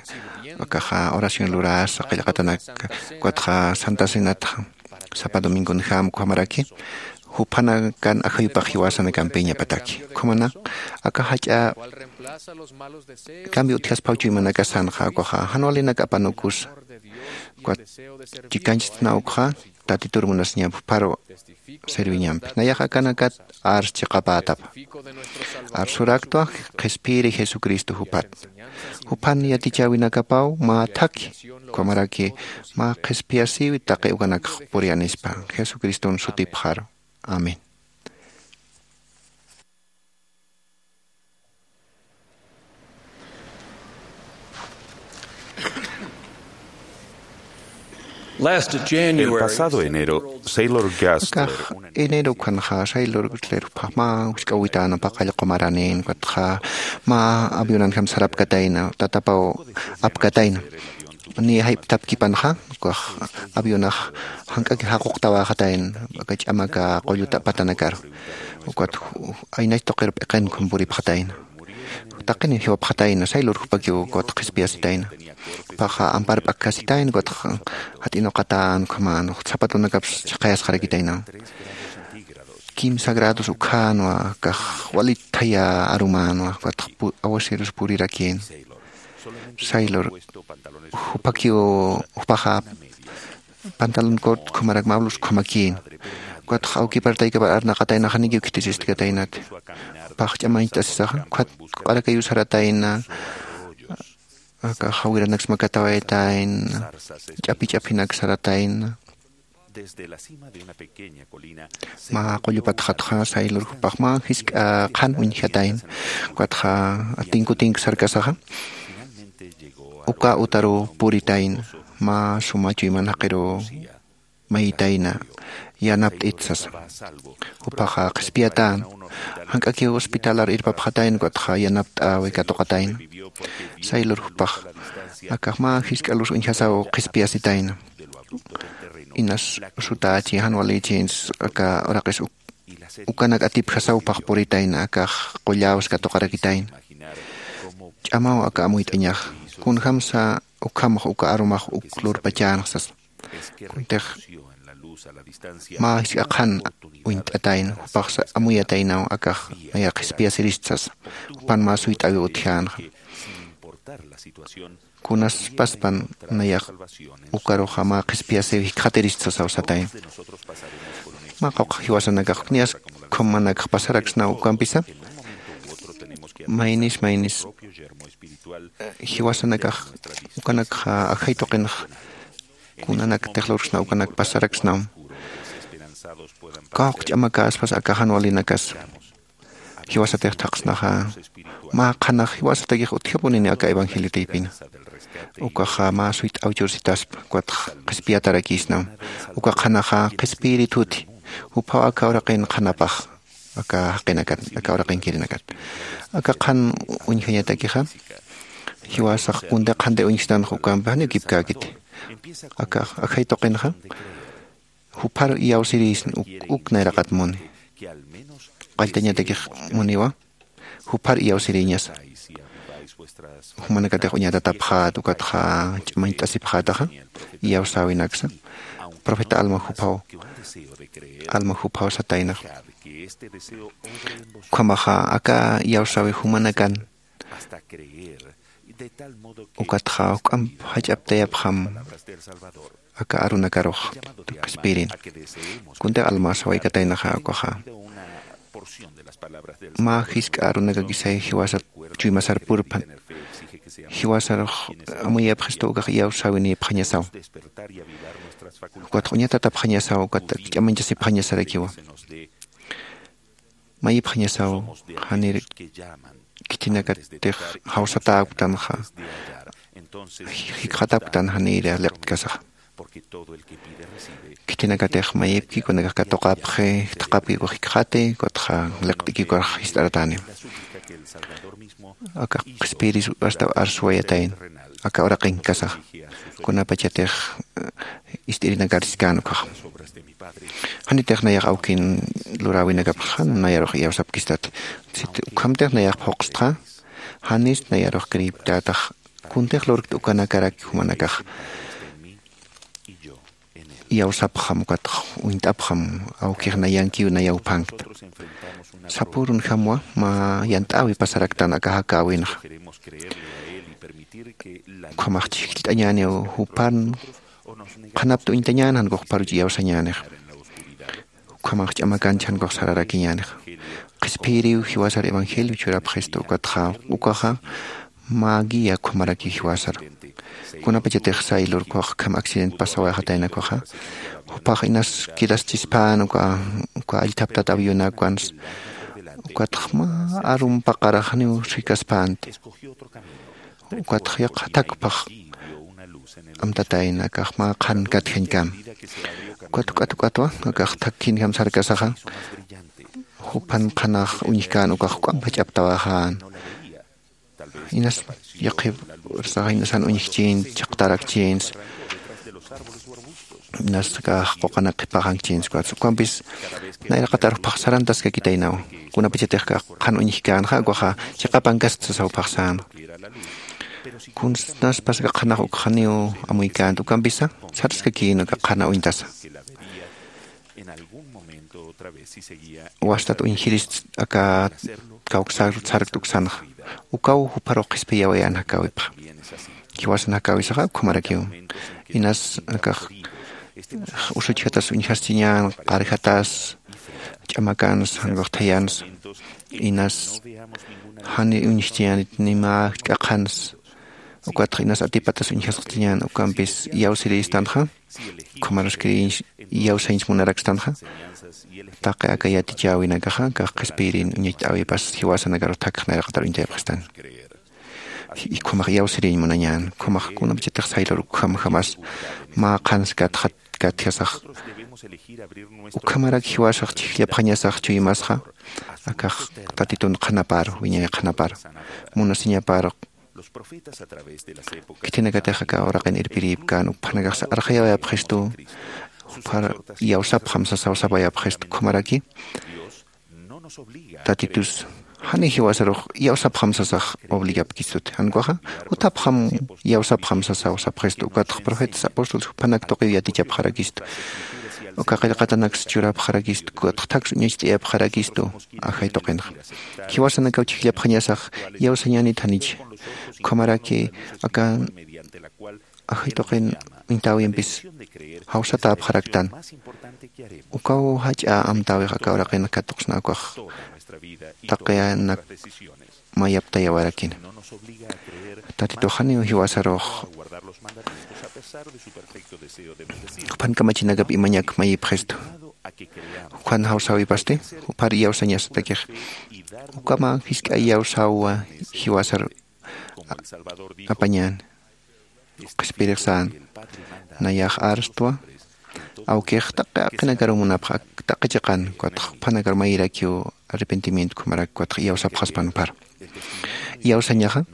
akaxa oración lurasa qillqatanak ukatxa santa cenatxa sapa domingonjam ukhamaraki juphanakan ajayupax jiwasanakampiñapataki. Ukhamanak aka jach'a cambio utjasphaw chuymanakasanxa, ukaxa jan walinak apanukusa. Ukat chikanchitna ukxa, Tatitur munasiñampi, jupharu serviñampi. Nayax akanakat ars chiqapätapa. Arsuraktwa qhispiyiri Jesucristo jupat. Juphan yatichäwinakapaw mä thakhi, ukhamaraki mä qhispiyasïwi taqi ukanakx puriyanispa, Jesucriston sutipxaru. Amén. El pasado enero, Sailor Gastler, akax enero ukhanxa Sailor Gastler juphax mä wisk'äwitäna paqallq qumaranin, ukatxa mä avionanjam sarapkatayna, tatapaw apkatayna. Niya jayp'tapkipanxa, ukax avionax jank'aki jaquqtawäxatayna, aka ch'amaka qulluta patanakaru. Ukat ju-, ju-, aynach tuqir p'iqin ukham puripxatayna. Taqini jiwapxatayna, Sailor jupakiw ukat qhispiyasitayna. Jupaxa ampar p'akjasitayna, ukat jat'inuqatän ukhaman, zapatonakaps chhaqayasxarakitayna. Kimsa grados ukhänwa, akax walit thaya arumänwa, ukat pu-, aguaceros purirakïn. Sailor, jupakiw, jupaxa pantalón corto ukhamarak mä blusa ukhamakïn. Ukatxa awkipar taykipar arnaqatayna, janikiw khitisiskataynati. Jupax ch'amañcht'asisaxa, ukat q'arakayuw saratayna, aka jawiranaks makatawaytayna, ch'api ch'apinak saratayna. Mä qullu patxatxa Sailor jupax mä jisk'a qhan uñjatayna, ukatxa tinku tinku sarkasaxa, uka utaruw puritayna, mä suma chuyman jaqiruw mayitayna, yanapt'it sasa. Jupaxa qhispiyatän, jank'akiw hospitalar irpapxatayna, ukatxa yanapt'äwi katuqatayna. Sailor jupax akax mä jisk'a luz uñjasaw qhispiyasitayna. Inas sutächi, jan walïchi, aka uraqis uk-, ukanak atipjasaw jupax puritayna, akax qulläws katuqarakitayna. Ch'amaw aka amuyt'añaxa, kunjamsa ukhamx uka arumax uk lurpachänxa sasa. Kuntix mä jisk'a qhan uñt'atayna, jupaxsa amuyataynaw, akax naya qhispiyasirist sasa. Jupan mä suyt'äwiw utjänxa. Kunaspaspan nayax ukaruxa mä qhispiyasiw jikxatirist sasaw satayna. Mä qawqha jiwasanakax, niyas ukhamanakax pasaraksnaw ukampisa. Maynis, maynis, eh, jiwasanakax ukanakxa ajay tuqinx kunanakatix lurksnaw ukanak pasaraksnam. Kawkh ch'amakäspas aka jan walinakas jiwasatix thaqsnaxa, mä qhanax jiwasatakix utjapunini aka evangelio taypina. Ukaxa mä suyt'äw chursitaspa, ukat qhispiyatarakïsnam. Uka qhanaxa qhispiyirituti, juphaw aka uraqin qhanapax, aka jaqinakat, aka uraqinkirinakat. Aka qhan uñjañatakixa, jiwasax kuntix qhanti uñjstanxa ukampi janiw kipkäkiti. Aka ajay tuqinxa, jupharu iyawsirïsna uk, uk nayraqat muni. Qalltañatakix muniwa, jupharu iyawsirïñasa. Jumanakatix uñatatapxät, ukatxa ch'amañt'asipxätaxa, iyawsäwinaksa. Profeta Alma juphaw, Alma juphaw sataynax. Ukhamaxa aka iyawsäwi jumanakan ukatxa juk'amp jach'aptayapxam aka arunakarux qhispiyirin. Kuntix Alma sawaykataynaxa ukaxa, mä jisk'a arunakakisay jiwasat chuymasar purpan, jiwasarux amuyapxistu ukax iyawsäwinïpxañasaw. Ukatxa uñatatapxañasaw, ukat ch'amañchasipxañasarakiwa. Mayipxañasaw, janir khitinakatix jawsatäktanxa, jikxatäktan janir liqt'kasaxa. Khitinakatix mayipki kunakax katuqapxi, jitxapki ukax jikxati, ukatxa liqt'ki ukax jist'aratäni. Aka qhispiyiris astaw arsuwayatayna, aka uraqinkkasaxa. Kunapachatix, eh, ist'irinakar siskän ukaxa. Janitix nayax awkin luräwinakapxa jan nayarux iyawsapkistati. Sit ukhamtix nayax phuqstxa, janis nayarux creeptätax, kuntix lurkt ukanakarak jumanakax. iyawsapxam ukatx uñt'apxam awkix nayankiw nayawphankta. Sapürunjamwa mä yant'äwi pasaraktan aka jakäwinxa. Ukhamax chhijllt'añäniw jupan qhanapta uñtañän jankux juparuch iyawsañänix. Ukhamax ch'amakanch jankux sararakiñänix. Qhispiyiriw jiwasar evangelio churapxistu ukatxa ukaxa mä guía ukhamarakiw jiwasar. Kunapachatix saylur ukax ukham accident pasawayxatayna ukaxa jupax inas quedaschispän uka uka allthaptat avionakwans. Ukatx mä arum paqaraxniw rhikaspänti. Ukatx yaqha thakpax amtatayna akax mä qhan katjañkam. Ukat uk'at uk'atwa akax thakkhinjam sarkasaxa jupan qhanax uñjkän ukax juk'amp jach'aptawaxän. Inas yaqhip ursaxa inasan uñjkchïnti chhaqtarakchïnsa. Inas akax quqanak qhipaxankchïnsa ukampis nayraqatar jupax sarantaskakitaynaw. Kunapachatix akax qhan uñjkänxa ukaxa chiqapankaskt sasa jupax sänxa. Kunsnaspas aka qhanax ukxaniw amuykänti ukampisa saraskakïn aka qhana uñtasa. Wastat uñjirist aka kawksar sarkt uksanxa ukaw juparux qhispiyawayän jakäwipxa. Jiwasan jakäwisaxa ukhamarakiw inas akax usuchjatas uñjaschiñän qarjatas ch'amakansa jankux thayansa inas jani uñjchiñänit ni mä k'aqhansa. Ukatxa inas atipatas uñjasqchiñän ukampis iyawsirïstanxa ukhamaraskiriñ iyawsañs munarakstanxa. Taqi aka yatichäwinakaxa akax qhispiyirin uñacht'äwipas jiwasanakaru thakx nayraqatar uñtayapxistan. Ukhamax iyawsiriñ munañän ukhamax kunapachatix saylur ukhamjamas mä qhans katxat katjasax ukhamarak jiwasax chhijllapxañasax chuymasxa. Akax tatitun qhanapar wiñay qhanapar munasiñapar khitinakatix aka uraqin irpirïpkän ukphanakax arxayawayapxistu. Juphar iyawsapxam sasaw sapayapxistu ukhamaraki tatitus jani jiwasarux iyawsapxam sasax obligapkistuti jankuxa jutapxam iyawsapxam sasaw sapxistu ukatx profetas apostoles juphanak tuqiw yatichapxarakistu. Uka qillqatanaks churapxarakistu ukatx thaks uñacht'ayapxarakistu. Ajay tuqinxa jiwasanakaw chhijllapxañasax iyawsañänit janicha ukhamaraki aka ajay tuqin uñtäwimpis jawsatäpxaraktan. Ukaw jach'a amtäwix aka uraqin katuqsna ukax taqiyanak mayaptayawarakina. Tatitux janiw jiwasarux juphan kamachinakap imañak mayipxistu. Jukhan jawsäwipasti juphar iyawsañasatakix ukama jisk'a iyawsäwa jiwasar apañäni. Qhispiyirix sän nayax arstwa awkix taqi aqinakaru munapxa taqi chiqan ukatx juphanakar mayirakiw arrepentimiento ukhamarak ukatx iyawsapxaspan uphar iyawsañaxa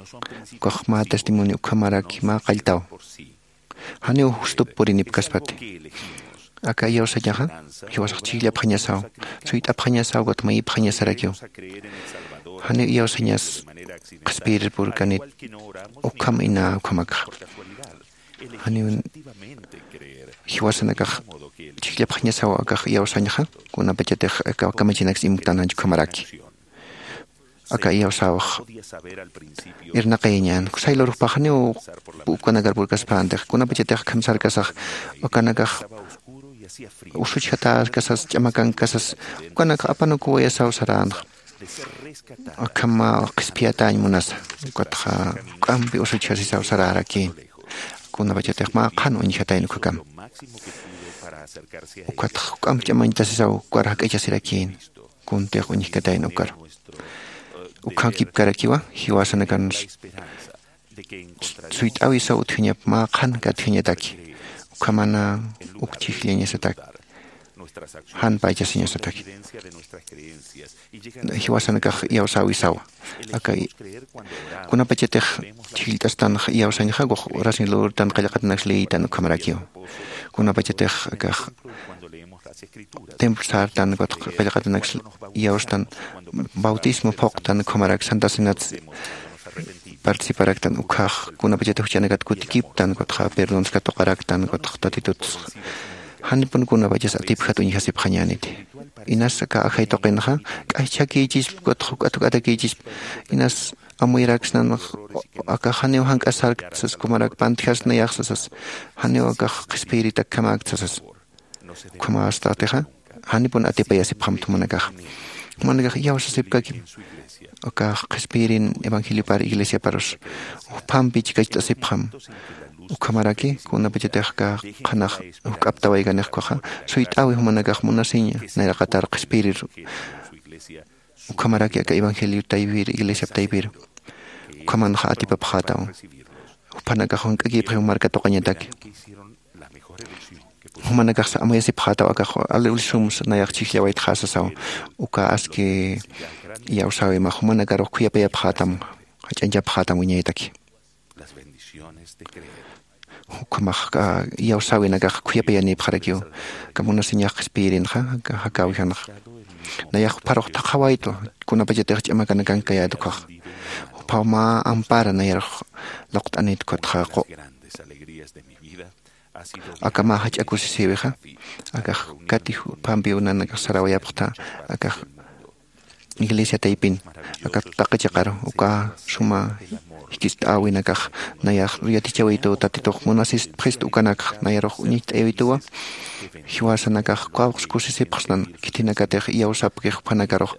ukax mä testimonio ukhamaraki mä qalltaw. Janiw justup purinipkaspati aka iyawsañaxa jiwasax chhijllapxañasaw suyt'apxañasaw ukat mayipxañasarakiw. Janiw iyawsañas qhispiyirpurkanit ukham ina ukhamakxa janiw jiwasanakax chhijllapxañasaw akax iyawsañxa kunapachatix aka kamachinak simktananch ukhamaraki aka iyawsäwix irnaqayañän saylurux paxaniw ukanakar purkaspäntix kunapachatix akham sarkasax ukanakax usuchjatäskasas ch'amakankasas ukanakax apanukuwayasaw saränxa. Akham qhispiyatäñ munasa ukatxa juk'ampi usuchjasisaw sarärakïn kunapachatix mä qhan uñjatayna ukhakam ukatxa juk'amp ch'amañtasisaw ukar jak'ichasirakïn kuntix uñjkatayna ukar ukha kipkarakiwa jiwasanakan suyt'äwisaw utjañap mä qhan katjañataki ukhamana uk chhijllañasatak jan paychasiñasatak jiwasanakax iyawsäwisawa aka kunapachatix chhijllt'astan iyawsañxa ukax oración lurtan qillqatanaks liytan ukhamarakiw kunapachatix akax templo sartan ukatx qillqatanaks iyawstan bautismo phuqtan ukhamarak santa cenats participaraktan ukhax kunapachatix juchanakat kutikiptan ukatxa perdonskat tuqaraktan ukatx tatituts Janipun kunapachas atipjat uñjasipxañäniti. Inas aka ajay tuqinxa k'ajchhakïchisp, ukatxa juk'at juk'atakïchisp. Inas amuyaraksnanx akax janiw jank'asarkt sas, kumarak pantjas nayax sasas, janiw akax qhispiyiritakjamäkt sasas. Ukhamästatixa janipun atipayasipxamta jumanakax. Jumanakax iyawsasipkakim akax qhispiyirin evangeliopar iglesiaparus, juphampi chikacht'asipxam. Ukhamaraki kunapachatix aka qhanax juk'aptawaykanix ukaxa, suyt'äwi jumanakax munasiña nayraqatar qhispiyirir. Ukhamaraki aka evangelio taypir, iglesiap taypir ukhamanxa atipapxätaw. Juphanakax jank'akïpxi marka tuqañataki. Jumanakaxsa amuyasipxätaw akax ali ulisums nayax chhijllawaytxa sasaw. Uka aski iyawsäwima jumanakarux khuyapayapxätam, jach'añchapxätam wiñaytaki. Ukhamax iyawsäwinakax khuyapayanïpxarakiw. Aka munasiñax qhispiyirinxa aka jakäwijanxa nayax jupharux thaqhawaytu, kunapachatix ch'amakanakankayät ukkhax. Juphaw mä ampara nayarux luqt'anït ukkhatxa qu. Aka mä jach'a kusisïwixa akax kati juphampiw nanakax sarawayapxta akax iglesia taypin. Aka taqi chiqaru uka suma jikist'äwinakax nayax yatichawaytuw tatitux munasistpxist ukanakx nayarux uñacht'ayawituwa. Jiwasanakax kawksa kusisipxsnan khithinakatix iyawsapkix juphanakarux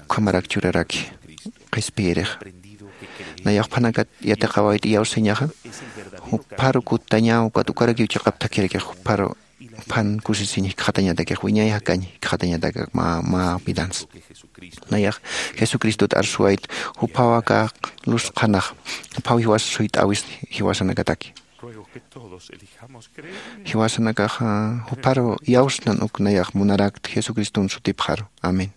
ukhamarak churaraki qhispiyirix. Nayax juphanakat yatiqawayt iyawsañaxa jupharu kutañaw ukat ukarakiw chiqap thakhirakix jupharu juphan kusisiñ jikxatañatakix wiñay jakañ jikxatañatak mä mä vidansa. Nayax jesucristot arsuwayt juphaw aka luz qhanax juphaw jiwas suyt'äwis jiwasanakataki. Jiwasanakax jupharu iyawsnan uk nayax munarakt jesucriston sutipxaru. Amén.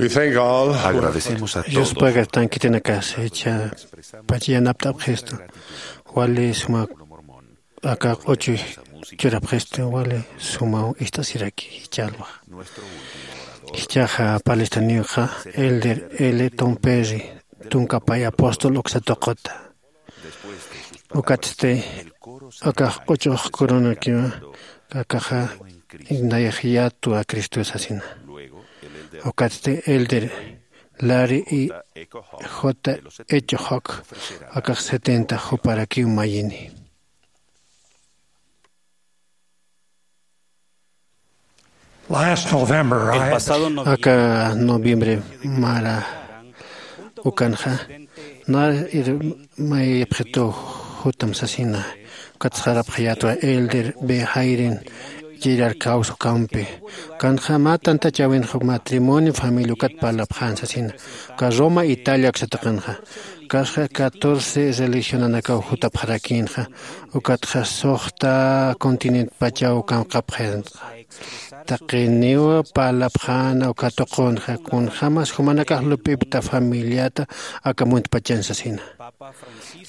We thank God for Agradecemos a todos. Yuspagartan khitinakas jichha pacha yanapt'apxistu, wali suma aka q'uchu churapxistu, wali sumaw ist'asiraki jichha alwax. Jichhaxa Palestiniwxa Elder L. Tom Perry, tunka pay apóstol uksa tuquta. Ukatsti akax q'uchux coronakiwa, akaxa nayax yatwa Cristo sasina. Ukatsti Elder Larry y J. H. Hawk, akax setenta juparakiw mayini. Last November, I El pasado noviembre, aka noviembre mara ukanxa, na ir-, mayipxitu jutam sasina, ukat sarapxayatwa Elder B. Hayden Gerard Causo Campe. Kanxa mä tantachäwinxa matrimonio familia ukat parlapxän sasina. Uka Roma, Italia uksa tuqinxa. Kasxa catorce religionanakaw jutapxarakïnxa. Ukatxa suxta continent pachaw kamkapxayanxa. Taqiniw parlapxäna uka tuqunxa, kunjämas jumanakax lup'ipta familiata aka muntpachan sasina.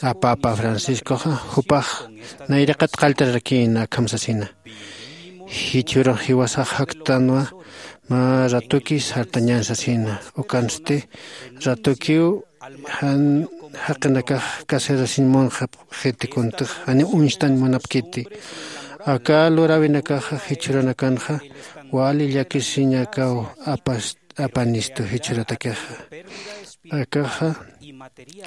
A Papa Franciscoxa jupax nayraqat qalltararakïna akham sasina. Jichhürux jiwasax jaktanwa, mä ratuki sartañan sasina. Ukansti ratukiw jan jaqinakax casarasiñ munxapxiti, kuntix janiw uñstañ munapkiti. Aka luräwinakaxa jichhüranakanxa wali llakisiñakaw apas-, apanistu jichhüratakixa. Akaxa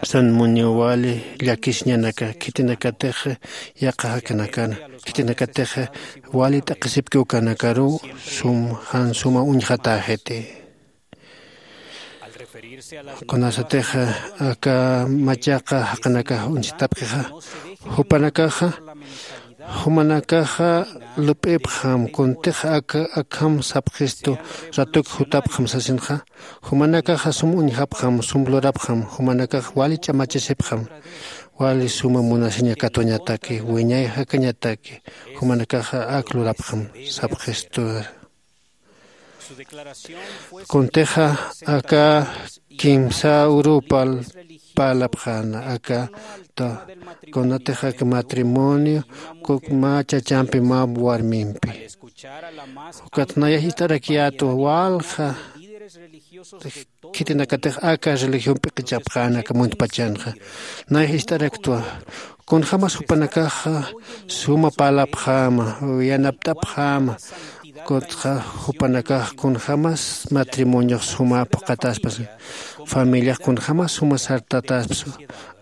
san muniw wali llakisiñanaka, khitinakatix yaqha jakanakana, khitinakatix wali t'aqhisipki ukanakaruw sum, jan suma uñjatäxiti. Kunasatix aka machaqa jaqinakax uñstapkixa, jupanakaxa, jumanakaxa lup'ipxam, kuntix aka, akham sapxistu, ratuk jutapxam sasinxa, jumanakaxa sum uñjapxam, sum lurapxam, jumanakax wali ch'amachasipxam, wali suma munasiña katuñataki, wiñay jakañataki, jumanakaxa ak lurapxam sapxistu. Kuntixa aka kimsa urupal parlapxäna aka ta, kunatix aka matrimonio, kuk mä chachampi mä warmimpi. Ukat nayax ist'arakyätwa walja khitinakatix aka religión p'iqichapxäna aka muntpachanxa. Nayax ist'araktwa, kunjämas jupanakaxa suma parlapxäma, yanapt'apxäma, kutxa jupanakax kunjämas matrimoniox suma phuqhatäspas, familiax kunjämas suma sartatäspas,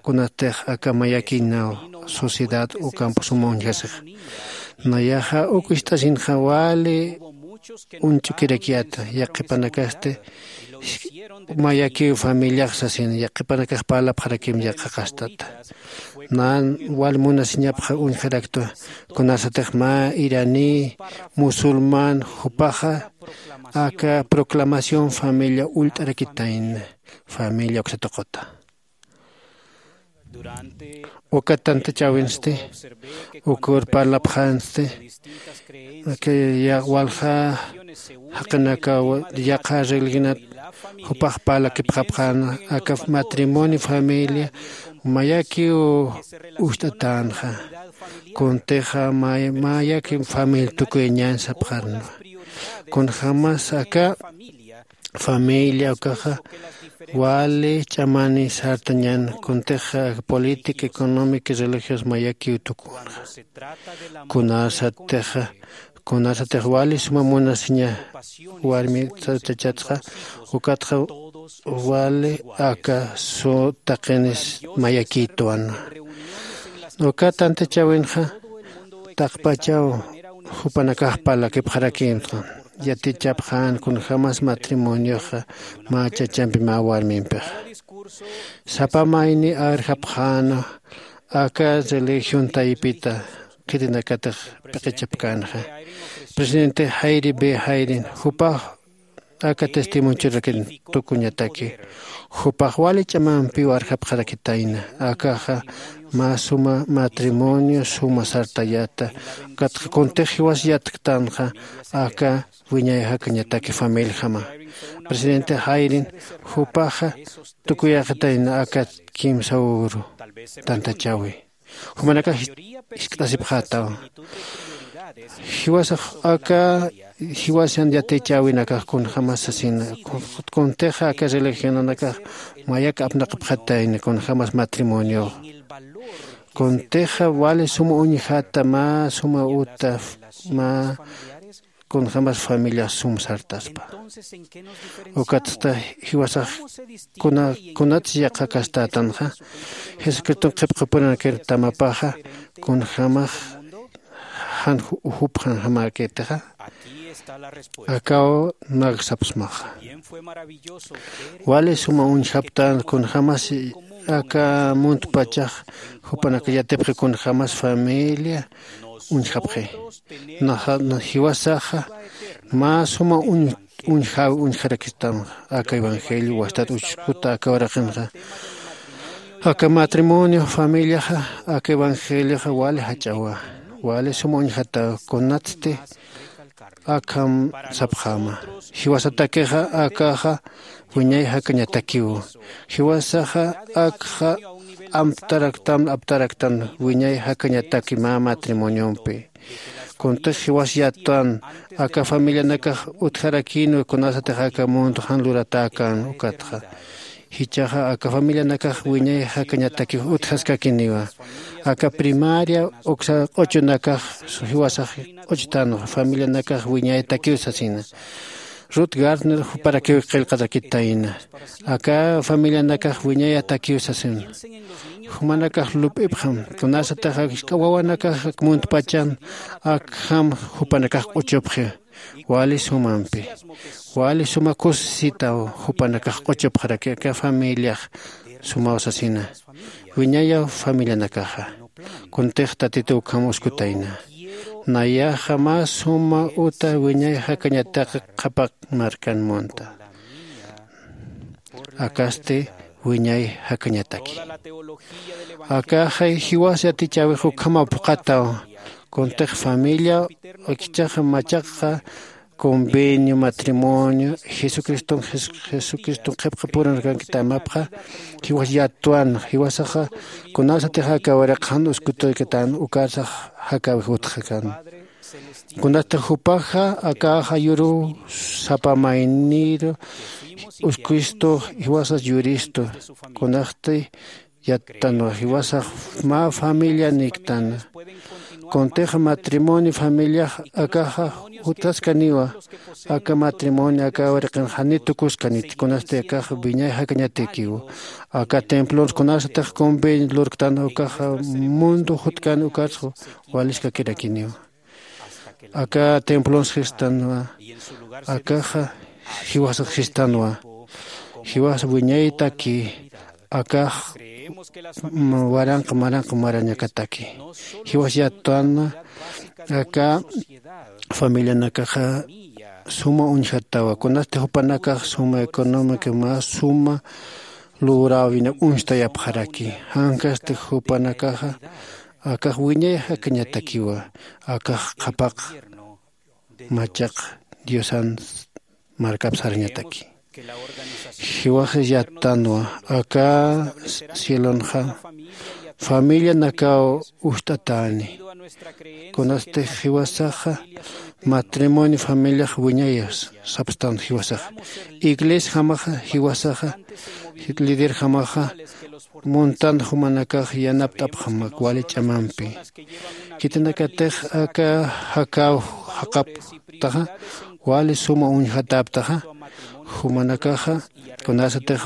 kunatix aka mayakïnaw sociedad ukamp suma uñjasix. Nayaxa uk ist'asinxa wali uñch'ukirakyäta, yaqhipanakasti mayakiw familiax sasin, yaqhipanakax parlapxarakim yaqha qastata. Nan wal munasiñapxa uñjaraktwa, kunasatix mä iraní, musulmán, jupaxa aka proclamación familia ullt'arakitayna, familia uksa tuquta. Uka tantachäwinsti, ukur parlapxänsti, que ya walja jaqinakaw yaqha religionat jupax parlakipxapxäna, aka matrimonio, familia, mayakiw ucht'atänxa. Kuntixa may-, mayaki familia tukuyañan sapxarnwa. Kunjämas aka familia ukaxa wali ch'amani sartañan, kuntixa política, económica, religiosa mayakiw tukunxa. Kunasatixa, kunasatix wali suma munasiña warmi sartachatxa, ukatxa wali aka su taqinis mayakïtwan. Uka tantachäwinxa taqpachaw jupanakax parlakipxarakïnxa, yatichapxän kunjämas matrimonioxa mä chachampi mä warmimpixa. Sapa mayni arjapxäna aka religión taypita khitinakatix p'iqichapkänxa. Presidente Hayden B. Hayden, jupax aka testimoniochurakin tukuñataki. Jupax wali ch'amampiw arjapxarakitayna. Akaxa mä suma matrimonio suma sartayata. Ukatxa kuntix jiwas yatktanxa aka wiñay jakañataki familjama. Presidente jairin jupaxa tukuyäxitayna aka kimsa uru tantachäwi. Jumanakax jiskt'asipxätaw. Jiwasax aka jiwasan yatichäwinakax kunjämas sasina. Kuntixa aka religionanakax mayak apnaqapxatayna kunjämas matrimoniox. Kuntixa wali suma uñjata mä suma uta mä kunjämas familiax sum sartaspa. Ukatsta jiwasax kunatsi yaqhakastätanxa jesucriston qhipqapuranakir tamapaxa kunjämax jan ujupxanjamäkitixa. Akaw nagsapsmaxa. Wali suma uñjaptän kunjämas aka muntpachax jupanaka yatipxi kunjämas familia uñjapxi. Jiwasaxa mä suma uñjäwi uñjarakistam aka evangelio wastat uchkuta aka uraqinxa. Aka matrimonio familiaxa aka evangelioxa wali jach'awa. Wali suma uñjataw kunatsti akham sapxäma. Jiwasatakixa akaxa wiñay jakañatakiw. Jiwasaxa akxa amtaraktan aptaraktan wiñay jakañataki mä matrimoniompi. Kuntix jiwas yattan aka familianakax utjarakïnwa kunasatix aka mundo jan luratäkän ukatxa. Jichhaxa aka familianakax wiñay jakañatakiw utjaskakiniwa. Aka primaria uksa q'uchunakax jiwasax q'uchtanwa familianakax wiñaytakiw sasina. Ruth garner juparakiw qillqarakitayna. Aka familianakax wiñayatakiw sasina. Jumanakax lup'ipxam kunasatix jisk'a wawanakax muntpachan akham jupanakax q'uchupxi. Wali sumampi wali suma kusisitaw jupanakax q'uchupxaraki aka familiax sumaw sasina. Wiñayaw familianakaxa. Kuntix tatituw ukham uskutayna. Nayaxa mä suma uta wiñay jakañataki qhapaq markan munta. Akasti wiñay jakañataki. Akaxay jiwas yatichäwix ukhamaw phuqhataw. Kuntix familia ikichaxa machaqxa convenio matrimonio jesucriston jesucriston qhipqapuranakankita amapxa. Jiwas yatwan jiwasaxa kunasatix aka uraqxan uskutuykitan ukarsax jakäwix utxakan. Kunatix jupaxa akaxa yuruw sapa mayniru uskuistu jiwasas yuristu. Kunaxti yattanwa jiwasax mä familia niktana. Kuntixa matrimonio familiax akaxa jutkaskaniwa. Aka matrimonio aka uraqin janiw tukuskaniti kunasti akax wiñay jakañatikiw. Aka templons kunasatix convenio lurktan ukaxa mundo jutkan ukarsa waliskakirakiniw. Aka templons jistanwa akaxa jiwasax jistanwa. Jiwas wiñaytaki akax waranqa maranqa marañakataki. Jiwas yattanwa aka familianakaxa suma uñjatawa kunasti jupanakax suma económica mä suma lurawina uñstayapxaraki. Jankasti jupanakaxa akax wiñay jakañatakiwa. Akax qhapaq machaq diosan markap sarañataki. Jiwaxas yattanwa aka cielonxa familianakaw ujt'atäni. Kunasti jiwasaxa matrimonio familiax wiñayas sapstan jiwasaxa iglesiajamaxa jiwasaxa liderjamaxa muntan jumanakax yanapt'apxamak wali ch'amampi. Khitinakatix aka jakäw jaqaptaxa wali suma uñjatäptaxa. Jumanakaxa kunasatix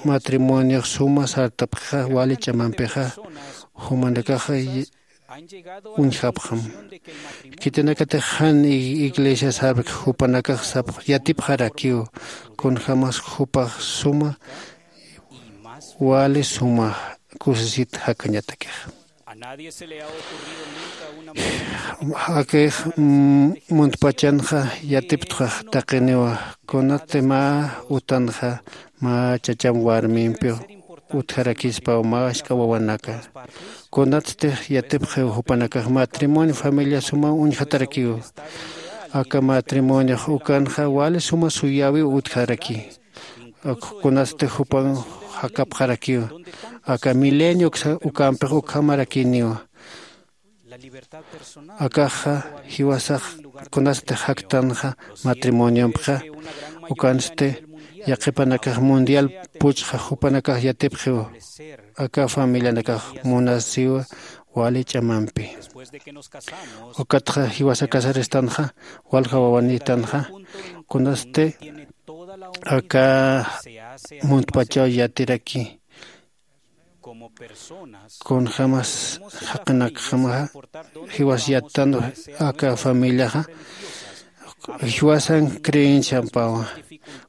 matrimoniox suma sartapxixa wali ch'amampixa jumanakaxa uñjapxam. Khitinakatix jan iglesia sarpki jupanakax sapx yatipxarakiw kunjämas jupax suma wali suma kusisit jakañatakixa. Akix muntpachanxa yatiptxax taqiniwa. Kunati mä utanxa mä chacham warmimpiw utjarakispaw mä ask'a wawanaka. Kunatstix yatipxiw jupanakax matrimonio familia suma uñjatarakiw. Aka matrimoniox ukanxa wali suma suyäwiw utjaraki. Kunatsti jupan jakapxarakiw aka milenio ukampix ukhamarakiniwa. Akaxa jiwasax kunatsti jaktanxa matrimoniompixa ukansti yaqhipanakax mundial puchxa jupanakax yatipxiw. Aka familianakax munasiwa wali ch'amampi. Ukatxa jiwasa casaristanxa walja wawanitanxa kunasti aka muntpachaw yatiraki. Kunjamas jaqinakjamaxa jiwas yattan aka familiaxa jiwasan creenciampawa.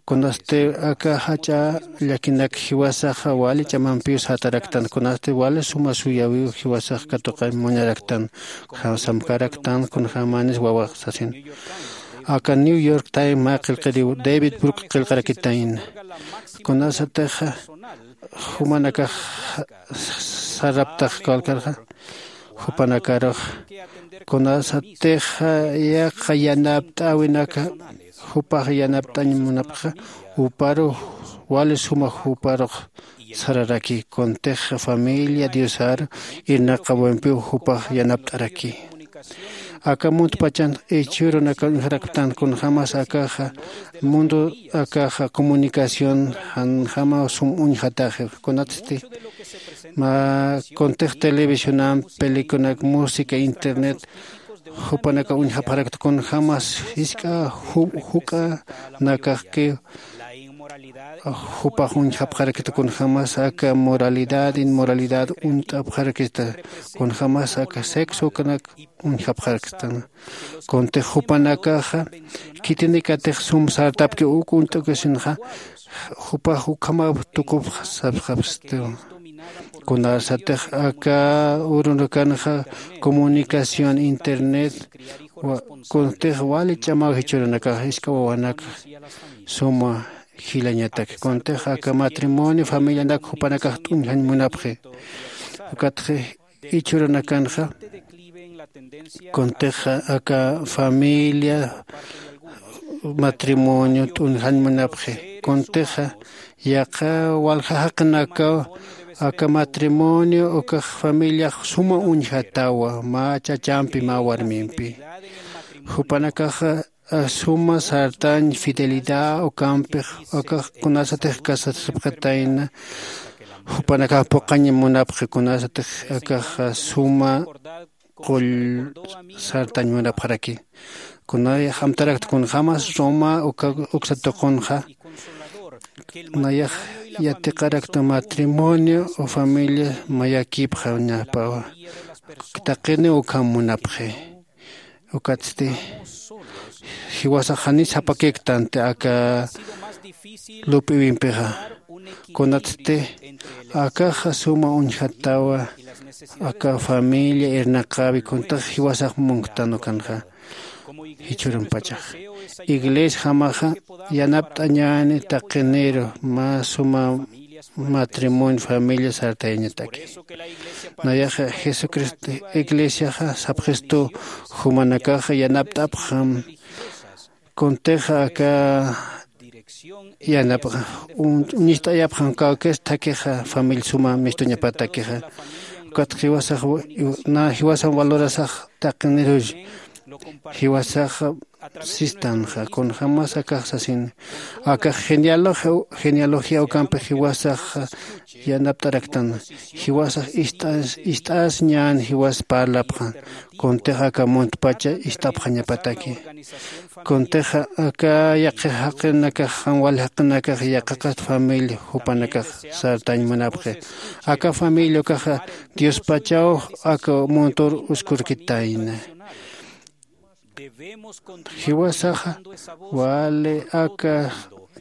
Kunasti aka jach'a llakinak jiwasaxa wali ch'amampiw sataraktan kunasti wali suma suyäwiw jiwasax katuqañ munaraktan. Samkaraktan kunjamanis wawax sasin aka New York Times mä qillqiriw David Brooks qillqarakitayna. Kunasatixa jumanakax saraptax kawkarxa jupanakarux kunasatixa yaqha yanapt'äwinaka jupax yanapt'añ munapxa uparu wali suma juparux sararaki kuntix familia diosaru irnaqawimpiw jupax yanapt'araki. Aka muntpachan ichhürunaka uñjaraktan kunjämas akaxa mundo akaxa comunicación janjama sum uñjataxi. Kunatsti mä kuntix televisionamp pelicunak música internet jupanaka uñjapxarakta kunjämas jisk'a juk'anakaxkiw jupax uñjapxarakta kunjämas aka moralidad inmoralidad uñt'apxarakta kunjämas aka sexo ukanak uñjapxaraktan. Kuntix jupanakaxa khitinikatix sum sartapki uk uñt'ukisinxa jupax ukhamaw tukupx sapxapxstiwa. Kunasatix aka urunakanxa comunicación internet kuntix wali ch'amaw jichhürunakax jisk'a wawanaka suma jilañatak kuntix aka matrimonio familianak jupanakax t'uñjañ munapxi. Ukatxi ichhürunakanxa kuntix aka familia matrimonio t'uñjañ munapxi. Kuntixa yaqha walja jaqinakaw aka matrimonio ukax familiax suma uñjatawa mä chachampi mä warmimpi. Jupanakaxa suma sartañ fidelidad ukampix ukax kunasatix casasipxatayna jupanakax puqañ munapxi kunasatix akaxa suma qull sartañ munapxaraki. Kunayax amtarakta kunjämas roma uka uksa tuqunxa nayax yatiqarakta matrimonio o familia mayakipxañapawa taqini ukham munapxi. Ukatsti jiwasax janis sapakiktanti aka lup'iwimpixa. Kunatsti akaxa suma uñjatawa aka familia irnaqäwi kuntax jiwasax munktan ukanxa. Jichhürumpachax iglesiajamaxa yanapt'añäni taqiniru mä suma matrimonio familia sartayañataki. Nayaxa jesucristo iglesiaxa sapxistu jumanakaxa yanapt'apxam kuntixa aka yanapxa uñist'ayapxam kawkis thakixa familia suma mistuñapatakixa. Ukat jiwasax na jiwasan valorasax taqinirus jiwasax sistanxa kunjämas akax sasin akax genealogía genealogía ukampix jiwasax yanapt'araktan. Jiwasax ist'as ist'as ñan jiwas parlapxan kuntix aka muntpacha ist'apxañapataki. Kuntixa aka yaqhix jaqinakax jan wal jaqinakax yaqhiqat familia jupanakax sartañ munapxi. Aka familia ukaxa diospachaw aka muntur uskurkitayna. Jiwasaxa wali aka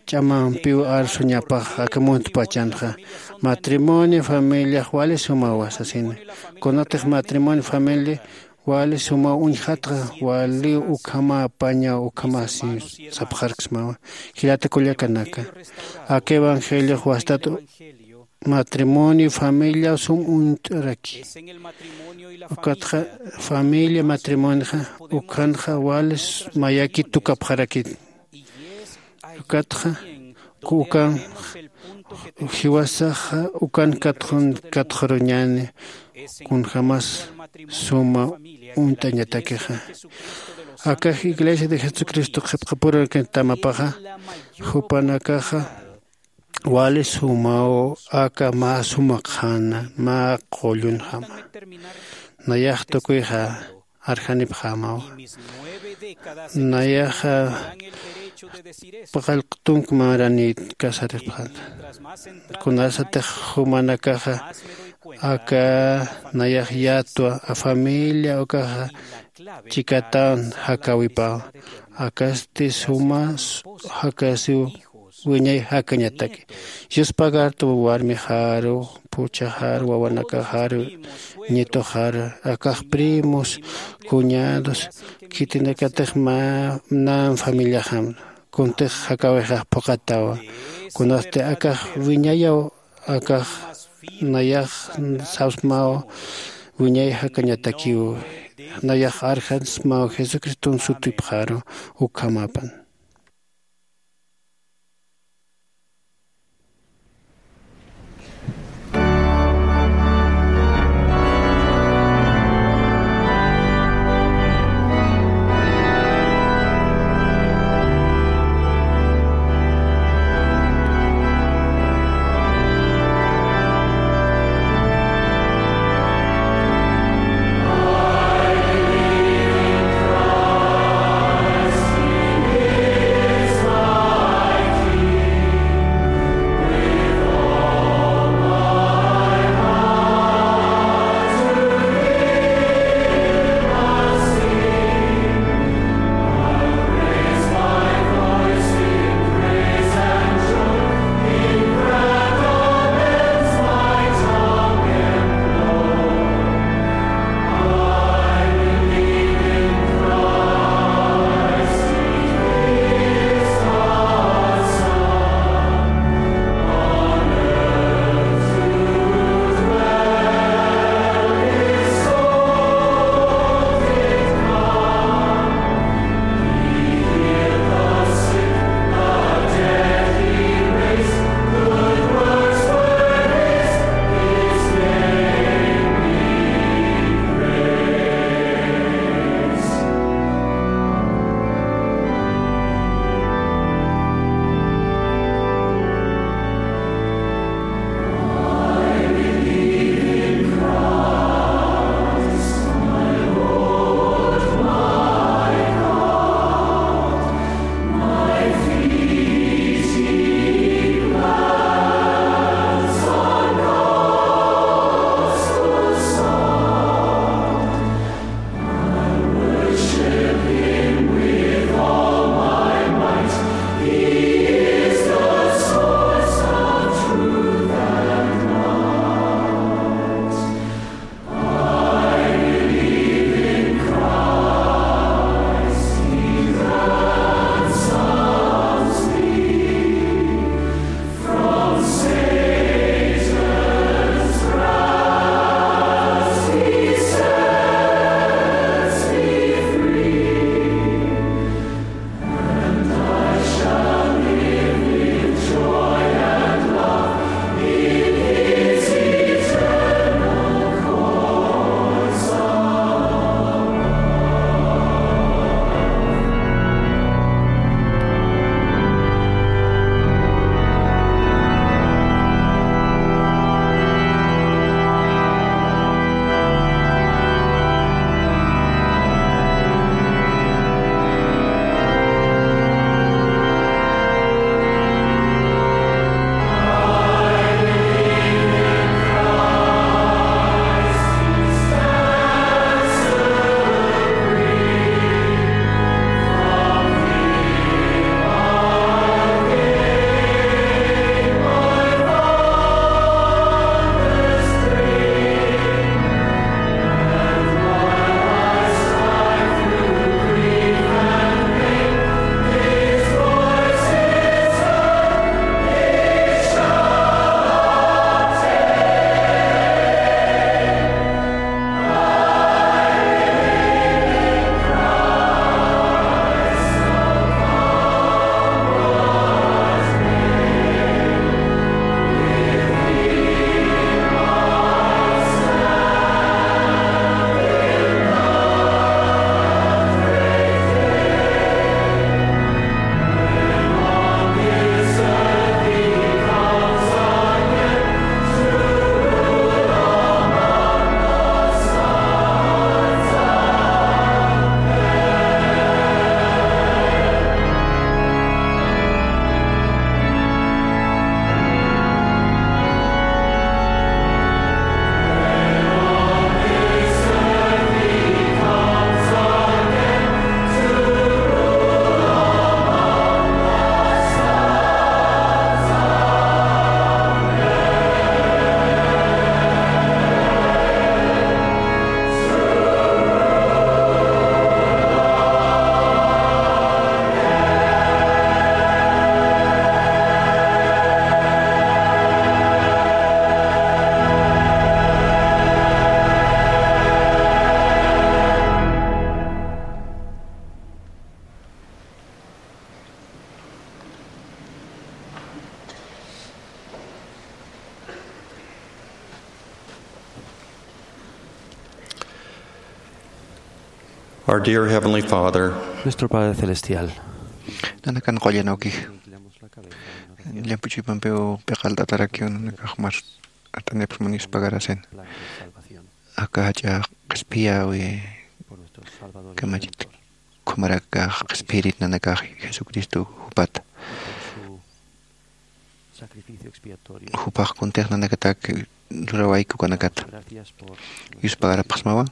ch'amampiw arsuñapax aka muntpachanxa. Matrimonio familiax wali sumawa sasina. Kunatix matrimonio familia wali sumaw uñjatxa, wali ukhamapañaw ukhamasi sapxarksmawa. Jilata kullakanaka, aka evangeliox wastat matrimonio familia sum uñt'araki. Ukatxa familia matrimonioxa ukhanxa wali mayaki tukapxarakit. Ukatxa ukan jiwasaxa ukan katxaruñäni kunjämas suma uñt'añatakixa. Akax Iglesia de Jesucristo qhipqapurkantamapaxa jupanakaxa wali sumaw aka mä suma qhana mä qullunjama. Nayax tukuyxa arjanipxämawa. Nayaxa paqallq tunk maranït casaripxäta. Kunasatix jumanakaxa aka nayax yatwa a familia ukaxa chikatawan jakäwipawa. Akasti suma jakasiw wiñay jakañataki. Yuspagartu warmixaru, phuchhaxaru, wawanakaxaru, ñituxaru, akax primos, cuñados, khitinakatix mä nan familiaxam kuntix jakäwixax phuqatawa. Kunasti akax wiñayaw akax nayax sapsmaw wiñay jakañatakiw. Nayax arjansmaw Jesucriston sutipxaru ukhamapan. Our dear Heavenly Father, Nuestro Padre Celestial. Nanakan qullan awkix. Llamp'u chuypampiw piqalt'atarakiw nanakax mar at'anipxsman yuspagarasin. Aka jach'a qhispiyäwi kamachit khumarakax qhispiyirit nanakax Jesucristo jupata. Jupax kuntix nanakatak lurawayku kanakata. Yuspagarapxsmawa.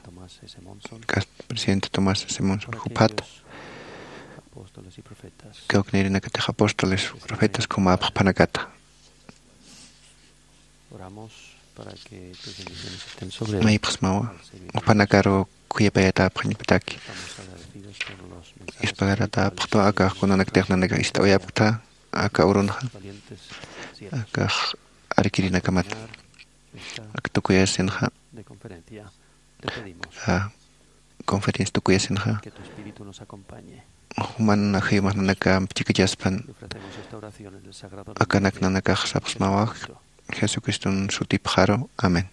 K'asta presidente Tomás S. Monson jupata. Kawknïrinakatix apóstoles, profetas, kumäpxpanakata. Maypxsmawa. Jupanakaru khuyapayatäpxañpataki. Yuspagaratäpxtwa akax kunanaktix nanakax ist'awayapkta aka urunxa. Akax arkirinakamat. Ak tukuyasinxa. A conferencia tukuyasinxa. Juman ajayumax nanaka ampichikachaspan. Akanak nanakax sapxsmawa. Jesucriston sutipxaru. Amén.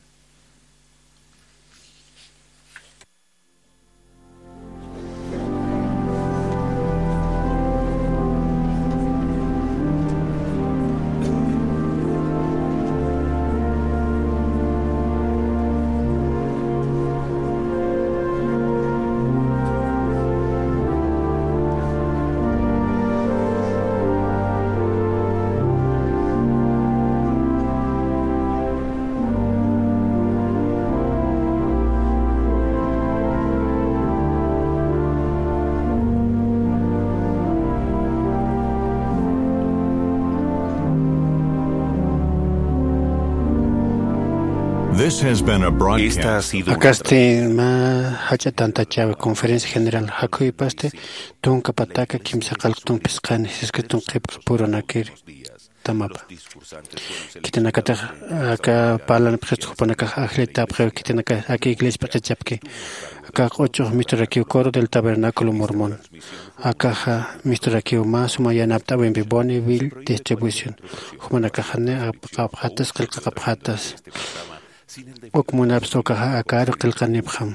This has been a broadcast. Esta ha sido una Akasti mä jach'a tantachäwi conferencia general jakhuypasti tunka pataka kimsa qallqtun phisqani Jesucriston qhipk purunakir tamapa. Khitinakatix aka parlanipxist jupanakax ajllatäpxiw khitinaka aka iglesia p'iqichapki. Aka q'uchux misturakiw Coro del Tabernáculo Mormón. Akaxa misturakiw mä suma yanapt'äwimpi Bonneville Distribution. Jumanakaxani apaqapxatas qillqaqapxatas. Uk munapxta ukaxa akaru qillqanipxam.